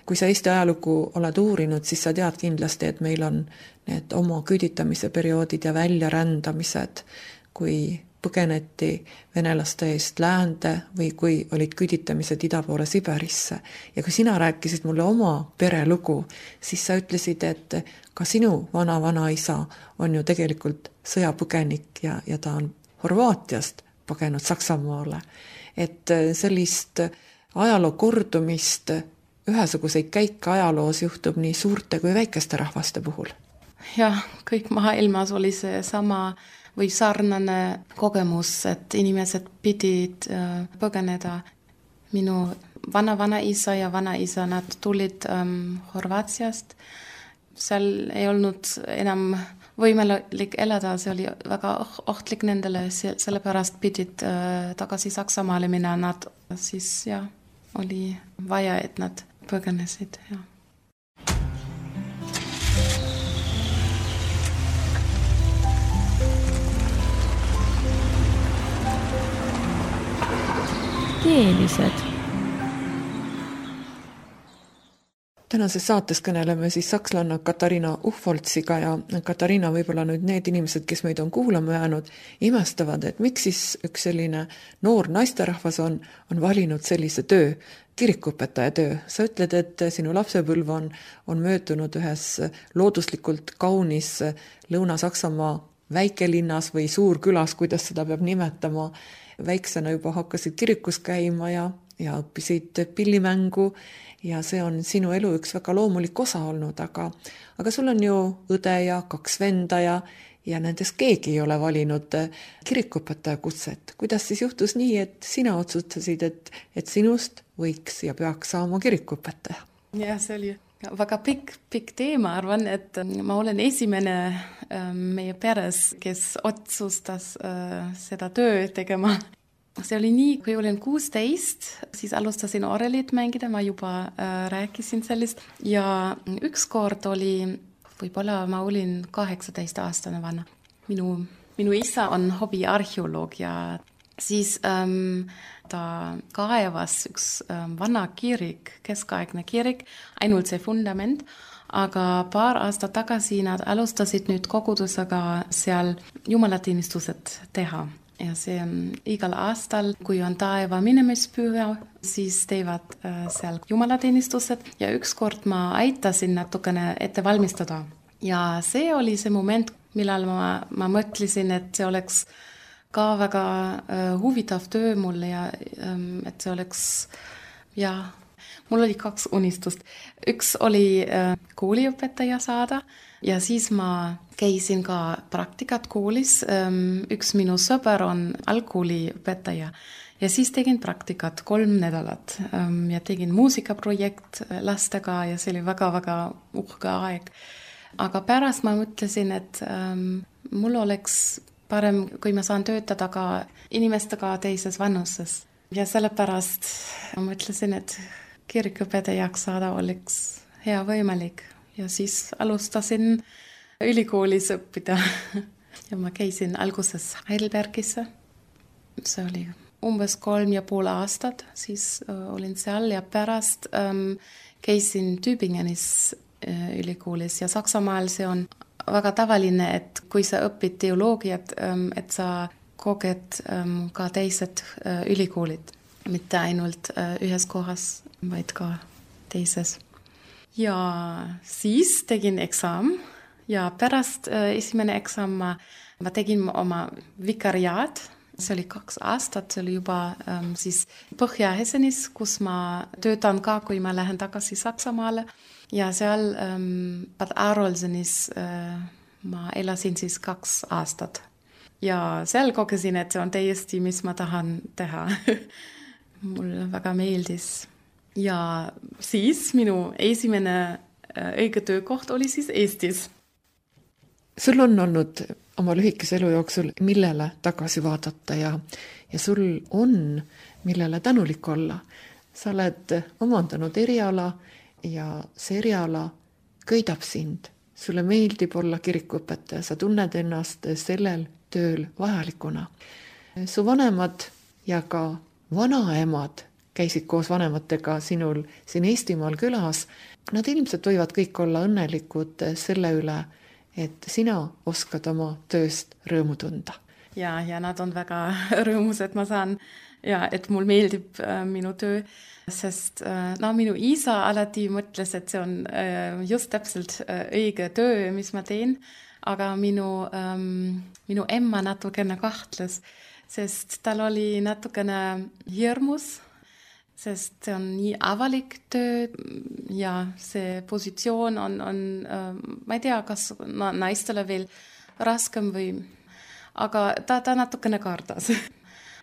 kui sa Eesti ajalugu oled uurinud, siis sa tead kindlasti, et meil on need oma küüditamise perioodid ja väljarändamised, kui põgeneti venelaste eest läände või kui olid küüditamised ida poole Siberisse. Ja kui sina rääkisid mulle oma perelugu, siis sa ütlesid, et ka sinu vana-vanaisa on ju tegelikult sõjapõgenik ja, ja ta on Horvaatiast põgenud Saksamaale. Et sellist ajaloo kordumist, ühesuguseid käike ajaloos juhtub nii suurte kui väikeste rahvaste puhul. Jah, kõik maailmas oli see sama või sarnane kogemus, et inimesed pidid põgeneda. Minu vana-vanaisa ja vanaisa, nad tulid ähm, Horvaatiast. Seal ei olnud enam võimalik elada, see oli väga ohtlik nendele, sellepärast pidid äh, tagasi Saksamaale minna. Nad siis ja, oli vaja, et nad põgenesid. Ja. Keelised. Tänases saates kõneleme siis sakslanna Katariina Uhvoltsiga ja Katariina võib-olla nüüd need inimesed, kes meid on kuulama jäänud, imestavad, et miks siis üks selline noor naisterahvas on, on valinud sellise töö, kirikuõpetaja töö. Sa ütled, et sinu lapsepõlv on, on möödunud ühes looduslikult kaunis Lõuna-Saksamaa väikelinnas või suurkülas, kuidas seda peab nimetama. Väiksena juba hakkasid kirikus käima ja, ja õppisid pillimängu ja see on sinu elu üks väga loomulik osa olnud, aga, aga sul on ju õde ja kaks venda ja, ja nendest keegi ei ole valinud kirikuõpetaja kutset. Kuidas siis juhtus nii, et sina otsustasid, et, et sinust võiks ja peaks saama kirikuõpetaja? Ja, see oli väga pikk, pikk teema, arvan, et ma olen esimene meie peres, kes otsustas seda töö tegema. See oli nii, kui olin kuusteist, siis alustasin orelit mängida, ma juba rääkisin sellest ja üks kord oli, võib-olla ma olin kaheksateist aastane vana. Minu, minu isa on hobiarheoloog ja siis ähm, ta kaevas üks ähm, vana kirik, keskaegne kirik, ainult see fundament, aga paar aastat tagasi nad alustasid nüüd kogudusega seal jumalateenistused teha. Ja see on igal aastal, kui on taeva minemispüha, siis teevad äh, seal jumalateenistused ja ükskord ma aitasin natukene ette valmistada. Ja see oli see moment, millal ma, ma mõtlesin, et see oleks ka väga äh, huvitav töö mulle ja ähm, et see oleks, ja mul oli kaks unistust. Üks oli äh, kooliõpetaja saada ja siis ma käisin ka praktikat koolis. Ähm, üks minu sõber on algkooliõpetaja ja siis tegin praktikat kolm nädalat ähm, ja tegin muusikaprojekt lastega ja see oli väga-väga uhke aeg. Aga pärast ma mõtlesin, et ähm, mul oleks parem, kui ma saan töötada ka inimestega teises vanuses. Ja sellepärast ma mõtlesin, et kirikuõpetajaks saada oleks hea võimalik. Ja siis alustasin ülikoolis õppida. Ja ma käisin alguses Heidelbergisse. See oli umbes kolm ja pool aastat, siis äh, olin seal ja pärast ähm, käisin Tübingenis äh, ülikoolis ja Saksamaal see on väga tavaline, et kui sa õpid teoloogiat, ähm, et sa koged ähm, ka teised äh, ülikoolid, mitte ainult äh, ühes kohas, vaid ka teises. Ja siis tegin eksam ja pärast äh, esimene eksam ma, ma tegin oma vikariaat. See oli kaks aastat, see oli juba ähm, siis Põhja-Hessenis, kus ma töötan ka, kui ma lähen tagasi Saksamaale. Ja seal ähm, Bad Arolsenis äh, ma elasin siis kaks aastat. Ja seal kogesin, et see on täiesti, mis ma tahan teha. Mulle väga meeldis. Ja siis minu esimene äh, õige töökoht oli siis Eestis. Sul on olnud oma lühikese elu jooksul, millele tagasi vaadata ja, ja sul on, millele tänulik olla. Sa oled omandanud eriala ja see eriala köidab sind. Sulle meeldib olla kirikuõpetaja, sa tunned ennast sellel tööl vajalikuna. Su vanemad ja ka vanaemad käisid koos vanematega sinul siin Eestimaal külas. Nad ilmselt võivad kõik olla õnnelikud selle üle, et sina oskad oma tööst rõõmu tunda. Ja, ja nad on väga rõõmus, et ma saan, ja, et mul meeldib äh, minu töö, sest äh, no, minu isa alati mõtles, et see on äh, just täpselt äh, õige töö, mis ma teen, aga minu, ähm, minu emma natukene kahtles, sest tal oli natukene hirmus, sest see on nii avalik töö ja see positsioon on, on ma ei tea, kas naistele veel raskem või, aga ta, ta natukene kardas.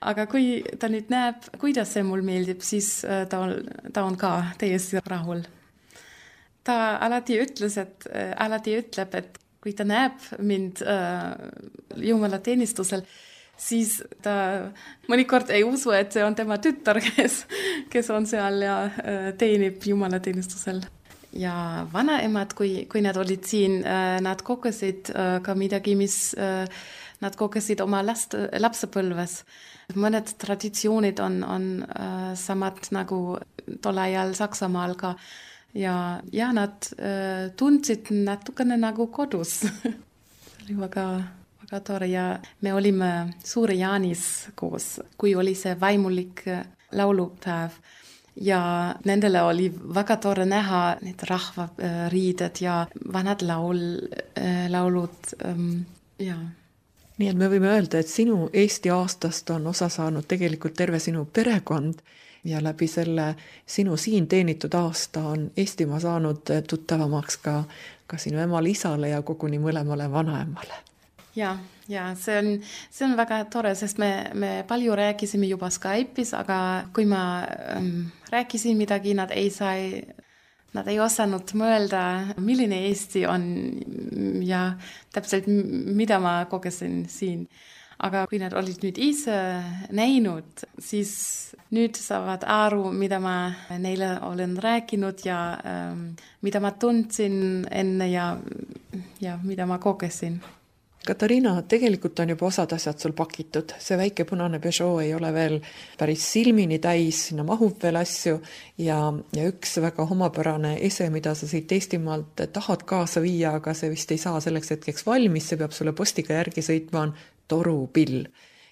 Aga kui ta nüüd näeb, kuidas see mul meeldib, siis ta on, ta on ka täiesti rahul. Ta alati ütles, et alati ütleb, et kui ta näeb mind äh, jumalateenistusel, siis ta mõnikord ei usu, et see on tema tütar, kes, kes on seal ja teenib jumalateenistusel. Ja vanaemad, kui, kui nad olid siin, nad kogesid ka midagi, mis nad kogesid oma last, lapsepõlves. Mõned traditsioonid on, on samad nagu tol ajal Saksamaal ka. Ja, ja nad tundsid natukene nagu kodus. See oli väga... väga tore ja me olime Suure Jaanis koos, kui oli see vaimulik laulupäev ja nendele oli väga tore näha need rahvariided ja vanad laul, laulud. Ja. Nii et me võime öelda, et sinu Eesti aastast on osa saanud tegelikult terve sinu perekond ja läbi selle sinu siin teenitud aasta on Eestimaa saanud tuttavamaks ka, ka sinu emale, isale ja koguni mõlemale vanaemale. Ja, ja see on, see on väga tore, sest me, me palju rääkisime juba Skype'is, aga kui ma ähm, rääkisin midagi, nad ei sai, nad ei osanud mõelda, milline Eesti on ja täpselt mida ma kogesin siin. Aga kui nad olid nüüd ise näinud, siis nüüd saavad aru, mida ma neile olen rääkinud ja ähm, mida ma tundsin enne ja, ja mida ma kogesin. Katariina, tegelikult on juba osad asjad sul pakitud. See väike punane Peugeot ei ole veel päris silmini täis, sinna mahub veel asju ja, ja üks väga homapärane ese, mida sa siit Eestimaalt tahad kaasa viia, aga see vist ei saa selleks hetkeks valmis, see peab sulle postiga järgi sõitma, on torupill.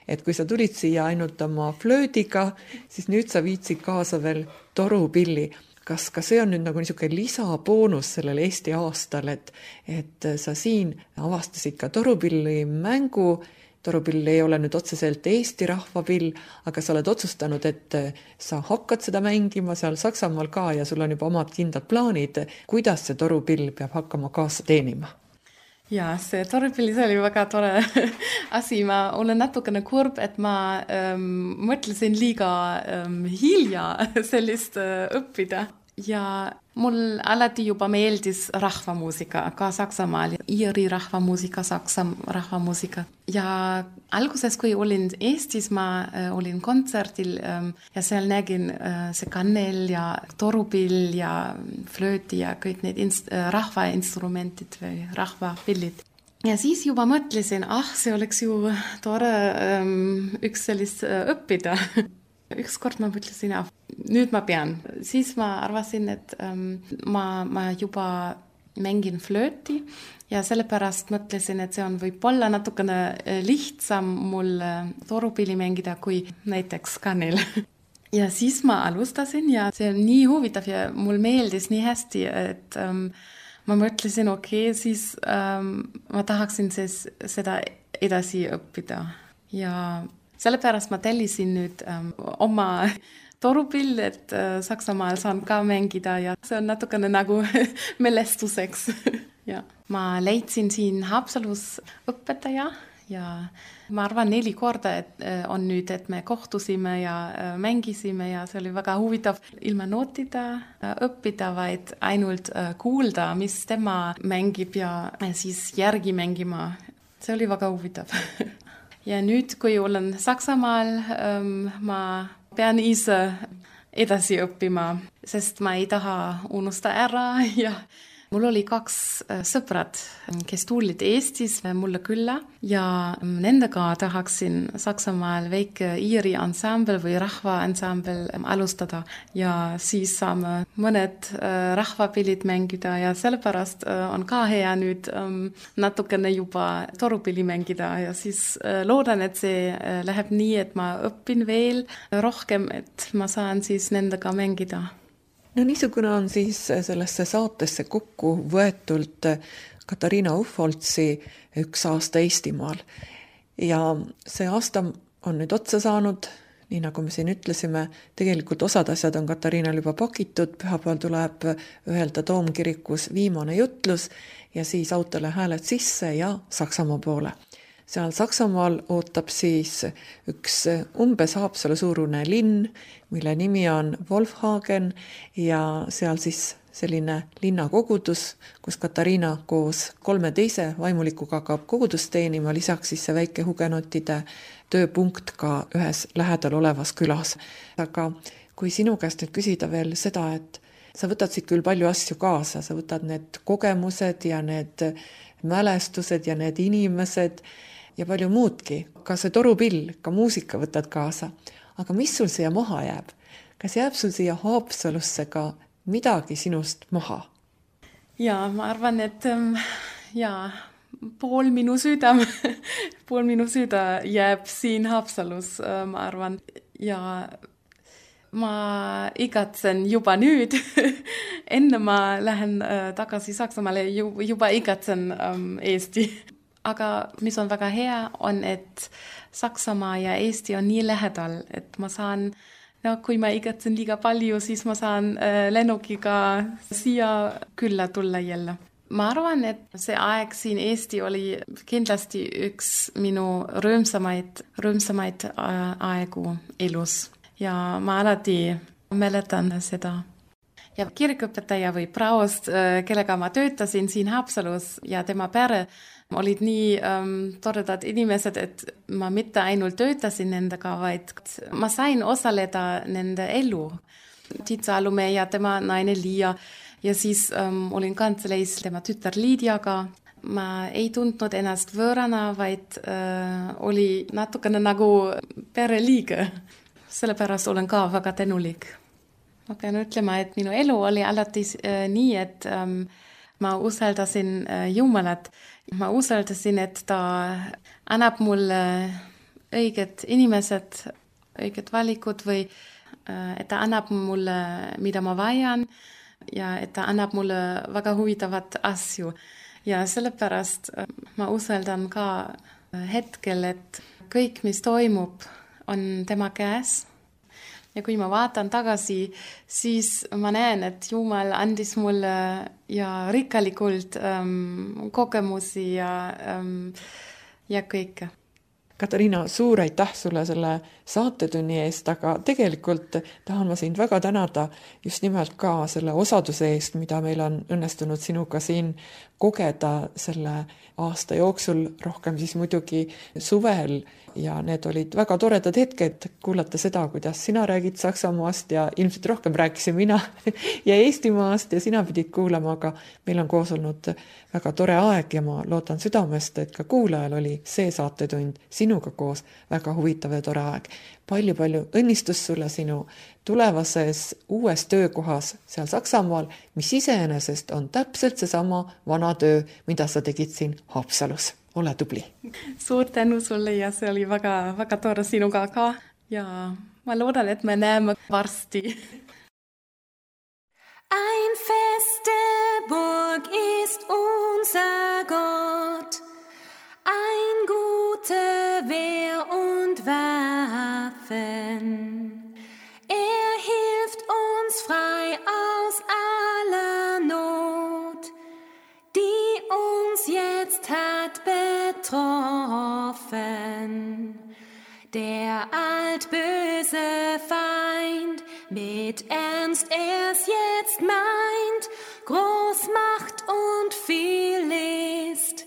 Et kui sa tulid siia ainult oma flöödiga, siis nüüd sa viitsid kaasa veel torupilli. Kas ka see on nüüd nagu niisugune lisaboonus sellel Eesti aastal, et, et sa siin avastasid ka torupilli mängu. Torupill ei ole nüüd otseselt Eesti rahvapill, aga sa oled otsustanud, et sa hakkad seda mängima seal Saksamaal ka ja sul on juba omad kindlad plaanid, kuidas see torupill peab hakkama kaasa teenima. Ja, see torupill, see oli väga tore asi. Ma olen natukene kurb, et ma ähm, mõtlesin liiga ähm, hilja sellist äh, õppida. Ja mul alati juba meeldis rahvamuusika, ka Saksamaal, Iiri rahvamuusika, Saksa rahvamuusika. Ja alguses, kui olin Eestis, ma äh, olin kontserdil ähm, ja seal nägin äh, see kannel ja torupill ja flööti ja kõik need inst- äh, rahvainstrumentid või rahvapillid. Ja siis juba mõtlesin, ah, see oleks ju tore ähm, üks sellist äh, õppida. Ükskord ma mõtlesin, ah, nüüd ma pean. Siis ma arvasin, et ähm, ma, ma juba mängin flööti ja sellepärast mõtlesin, et see on võib-olla natukene lihtsam mul torupilli mängida kui näiteks kannel. Ja siis ma alustasin ja see on nii huvitav ja mul meeldis nii hästi, et ähm, ma mõtlesin, okei, okay, siis ähm, ma tahaksin siis seda edasi õppida. Ja sellepärast ma tellisin nüüd ähm, oma torupill, et äh, Saksamaal saan ka mängida ja see on natukene nagu mälestuseks. Ja. Ma leidsin siin Haapsalus õpetaja ja ma arvan neli korda, et äh, on nüüd, et me kohtusime ja äh, mängisime ja see oli väga huvitav ilma nootida äh, õppida, vaid ainult äh, kuulda, mis tema mängib ja äh, siis järgi mängima. See oli väga huvitav. Ja nüüd, kui olen Saksamaal, ähm, ma pean ise edasi õppima, sest ma ei taha unusta ära ja mul oli kaks sõbrad, kes tulid Eestis mulle külla ja nendega tahaksin Saksamaal väike Iiri ansambel või rahvaansambel alustada ja siis saame mõned rahvapillid mängida ja sellepärast on ka hea nüüd natukene juba torupilli mängida ja siis loodan, et see läheb nii, et ma õpin veel rohkem, et ma saan siis nendega mängida. No niisugune on siis sellesse saatesse kokku võetult Katariina Uffoltsi üks aasta Eestimaal. Ja see aasta on nüüd otsa saanud, nii nagu me siin ütlesime, tegelikult osad asjad on Katariinal juba pakitud, pühapäeval tuleb öelda Toomkirikus viimane jutlus ja siis autole hääled sisse ja Saksamaa poole. Seal Saksamaal ootab siis üks umbes Haapsalu suurune linn, mille nimi on Wolfhagen ja seal siis selline linnakogudus, kus Katariina koos kolme teise vaimulikuga hakkab kogudust teenima, lisaks siis see väike hugenotide tööpunkt ka ühes lähedal olevas külas. Aga kui sinu käest nüüd küsida veel seda, et sa võtad siit küll palju asju kaasa, sa võtad need kogemused ja need mälestused ja need inimesed ja palju muudki, ka see torupill, ka muusika võtad kaasa. Aga mis sul siia maha jääb? Kas jääb sul siia Haapsalusse ka midagi sinust maha? Ja, ma arvan, et ähm, ja, pool minu süda, pool minu süda jääb siin Haapsalus, äh, ma arvan. Ja ma igatsen juba nüüd. Enne ma lähen äh, tagasi Saksamaale, juba igatsen ähm, Eesti. Aga mis on väga hea on, et Saksamaa ja Eesti on nii lähedal, et ma saan, no kui ma igatsen liiga palju, siis ma saan äh, lennukiga siia külla tulla jälle. Ma arvan, et see aeg siin Eesti oli kindlasti üks minu rõõmsamaid, rõõmsamaid aegu elus ja ma alati mäletan seda. Ja kirikuõpetaja või praost, kellega ma töötasin siin Haapsalus ja tema pere olid nii ähm, toredad inimesed, et ma mitte ainult töötasin nendega, vaid ma sain osaleda nende elu. Tiit Salumäe ja tema naine Liia ja siis ähm, olin kantseleis tema tütar Liidiaga. ma ei tundnud ennast võõrana, vaid äh, oli natukene nagu pereliige. Sellepärast olen ka väga tänulik. Ma pean ütlema, et minu elu oli alati äh, nii, et ähm, ma usaldasin äh, Jumalat. Ma usaldasin, et ta annab mulle õiged inimesed, õiged valikud või äh, et ta annab mulle, mida ma vajan ja et ta annab mulle väga huvitavat asju. Ja sellepärast äh, ma usaldan ka hetkel, et kõik, mis toimub, on tema käes. Ja kui ma vaatan tagasi, siis ma näen, et Jumal andis mulle ja rikkalikult ähm, kogemusi ja, ähm, ja kõike. Katariina, suur aitäh sulle selle saatetunni eest, aga tegelikult tahan ma sind väga tänada just nimelt ka selle osaduse eest, mida meil on õnnestunud sinuga siin kogeda selle aasta jooksul, rohkem siis muidugi suvel, ja need olid väga toredad hetked kuulata seda, kuidas sina räägid Saksamaast ja ilmselt rohkem rääkisin mina ja Eestimaast ja sina pidid kuulama, aga meil on koos olnud väga tore aeg ja ma loodan südamest, et ka kuulajal oli see saatetund sinuga koos väga huvitav ja tore aeg. Palju-palju õnnistus sulle sinu tulevases uues töökohas seal Saksamaal, mis iseenesest on täpselt seesama vana töö, mida sa tegid siin Haapsalus. Ole tubli. Suur tänu sulle ja see oli väga, väga tore sinuga ka ja ma loodan, et me näeme varsti. Ein feste Burg ist unser Gott, ein gute Wehr und Waffen. Er hilft uns frei aus aller Not, die uns jetzt hat betroffen. Der altböse Feind mit Ernst er's jetzt meint, Großmacht und viel List,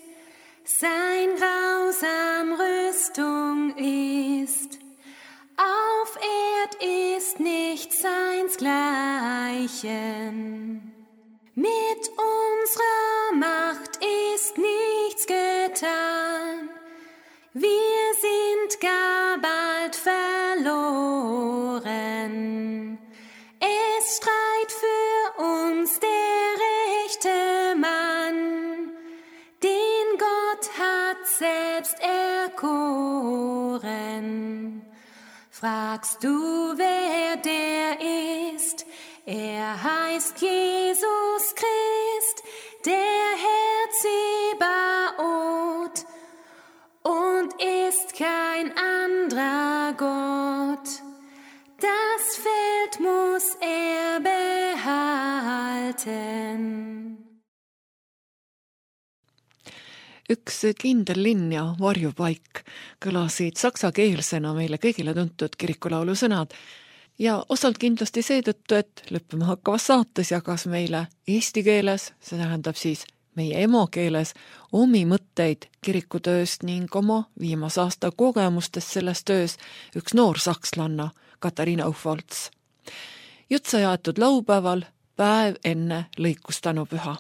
sein grausam Rüstung ist. Auf Erd ist nichts seinsgleichen. Mit unserer Macht ist nichts getan. Wir sind gar bald verloren. Es streit für uns der rechte Mann, den Gott hat selbst erkoren. Fragst du, wer der ist? Er heißt Jesus Christ, der Herr Zebaoth, und ist kein anderer Gott. Das Feld muss er behalten. Üks kindel linn ja varjupaik kõlasid saksakeelsena meile kõigile tuntud kirikulaulu sõnad ja osalt kindlasti seetõttu, et lõppema hakkavas saates jagas meile eesti keeles, see tähendab siis meie emakeeles, omi mõtteid kirikutööst ning oma viimase aasta kogemustest selles töös üks noor sakslanna, Katariina Uffolts. Jutt sai aetud laupäeval, päev enne lõikustanupüha.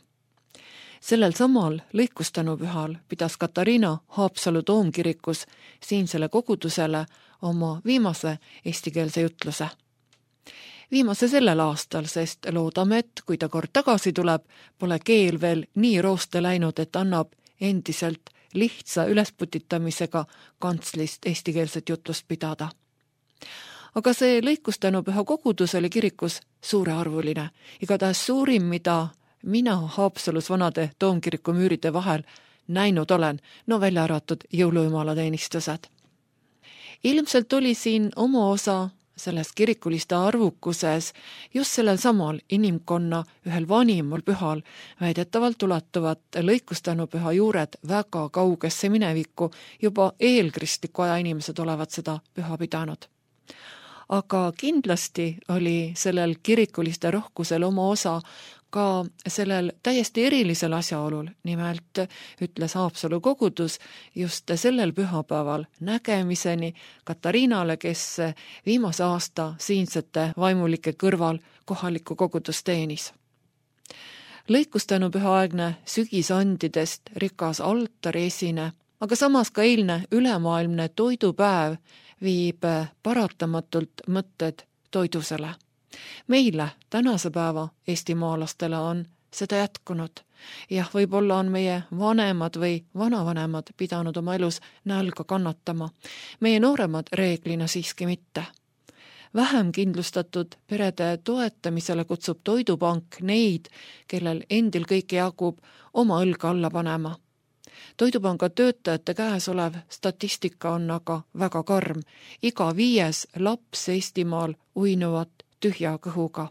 Sellel samal lõikustanupühal pidas Katariina Haapsalu Toomkirikus siinsele kogudusele oma viimase eestikeelse jutluse. Viimase sellel aastal, sest loodame, et kui ta kord tagasi tuleb, pole keel veel nii rooste läinud, et annab endiselt lihtsa ülesputitamisega kantslist eestikeelset jutlust pidada. Aga see lõikustanupüha kogudus oli kirikus suurearvuline, igatahes suurim, mida mina Haapsalus vanade Toomkiriku müüride vahel näinud olen, no välja arvatud jõulujumalateenistused. Ilmselt oli siin oma osa selles kirikuliste arvukuses just sellel samal inimkonna ühel vanimal pühal väidetavalt ulatuvad lõikustanupüha juured väga kaugesse minevikku, juba eelkristliku aja inimesed olevat seda püha pidanud. Aga kindlasti oli sellel kirikuliste rohkusel oma osa ka sellel täiesti erilisel asjaolul, nimelt ütles Haapsalu kogudus just sellel pühapäeval nägemiseni Katariinale, kes viimase aasta siinsete vaimulike kõrval kohalikku kogudust teenis. lõikustänupühaaegne sügisandidest rikas altari esine, aga samas ka eilne ülemaailmne toidupäev viib paratamatult mõtted toidusele. Meile, tänase päeva eestimaalastele on seda jätkunud. Jah, võib-olla on meie vanemad või vanavanemad pidanud oma elus nälga kannatama. Meie nooremad reeglina siiski mitte. Vähem kindlustatud perede toetamisele kutsub Toidupank neid, kellel endil kõike jagub, oma õlga alla panema. Toidupanga töötajate käes olev statistika on aga väga karm. Iga viies laps Eestimaal uinuvat tühja kõhuga.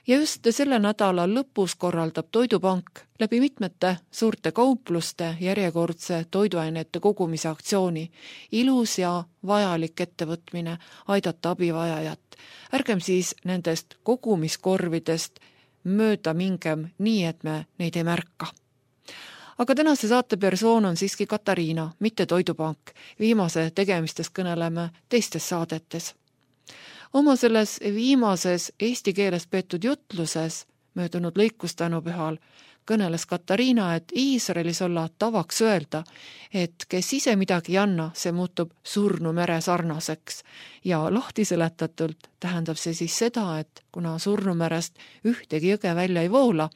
Ja just selle nädala lõpus korraldab Toidupank läbi mitmete suurte kaupluste järjekordse toiduainete kogumise aktsiooni. Ilus ja vajalik ettevõtmine aidata abivajajat. Ärgem siis nendest kogumiskorvidest mööda mingem nii, et me neid ei märka. Aga tänase saate persoon on siiski Katariina, mitte Toidupank. Viimase tegemistest kõneleme teistes saadetes. Oma selles viimases eesti keeles peetud jutluses möödunud lõikustänupühal kõneles Katariina, et Iisraelis olla tavaks öelda, et kes ise midagi ei anna, see muutub surnu mere sarnaseks. Ja lahti seletatult tähendab see siis seda, et kuna surnumerest ühtegi jõge välja ei voola,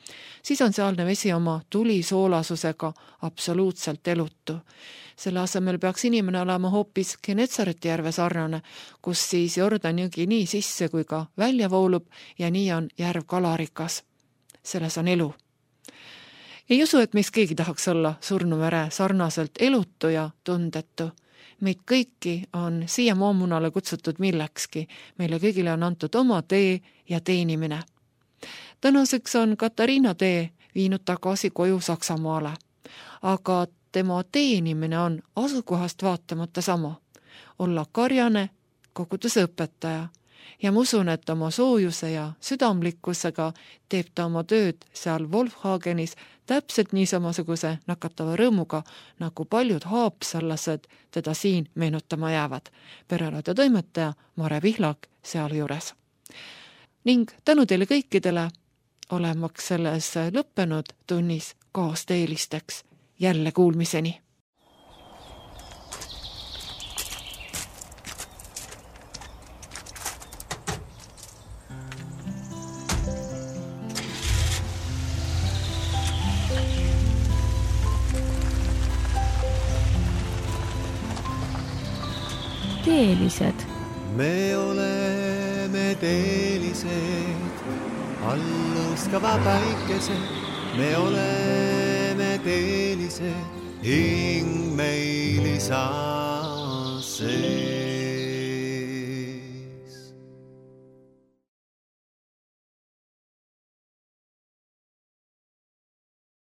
siis on sealne vesi oma tulisoolasusega absoluutselt elutu. Selle asemel peaks inimene olema hoopis Genetsareti järve sarnane, kus siis Jordan jõgi nii sisse kui ka välja voolub ja nii on järv kalarikas. Selles on elu. Ei usu, et meist keegi tahaks olla surnumere sarnaselt elutu ja tundetu. Meid kõiki on siia moomunale kutsutud millekski. Meile kõigile on antud oma tee ja teenimine. Tänaseks on Katariina tee viinud tagasi koju Saksamaale. Aga tema teenimine on asukohast vaatamata sama. Olla karjane, koguduse õpetaja. Ja ma usun, et oma soojuse ja südamlikkusega teeb ta oma tööd seal Wolfhagenis täpselt nii samasuguse nakatava rõõmuga, nagu paljud haapsallased teda siin meenutama jäävad. Perelade toimetaja Mare Pihlak seal juures. Ning tänu teile kõikidele olemaks selles lõppenud tunnis kaasteelisteks. Jälle kuulmiseni. Teelised. Me oleme teelised, alluskava päikesed. Me oleme teelised, hing meil saa see.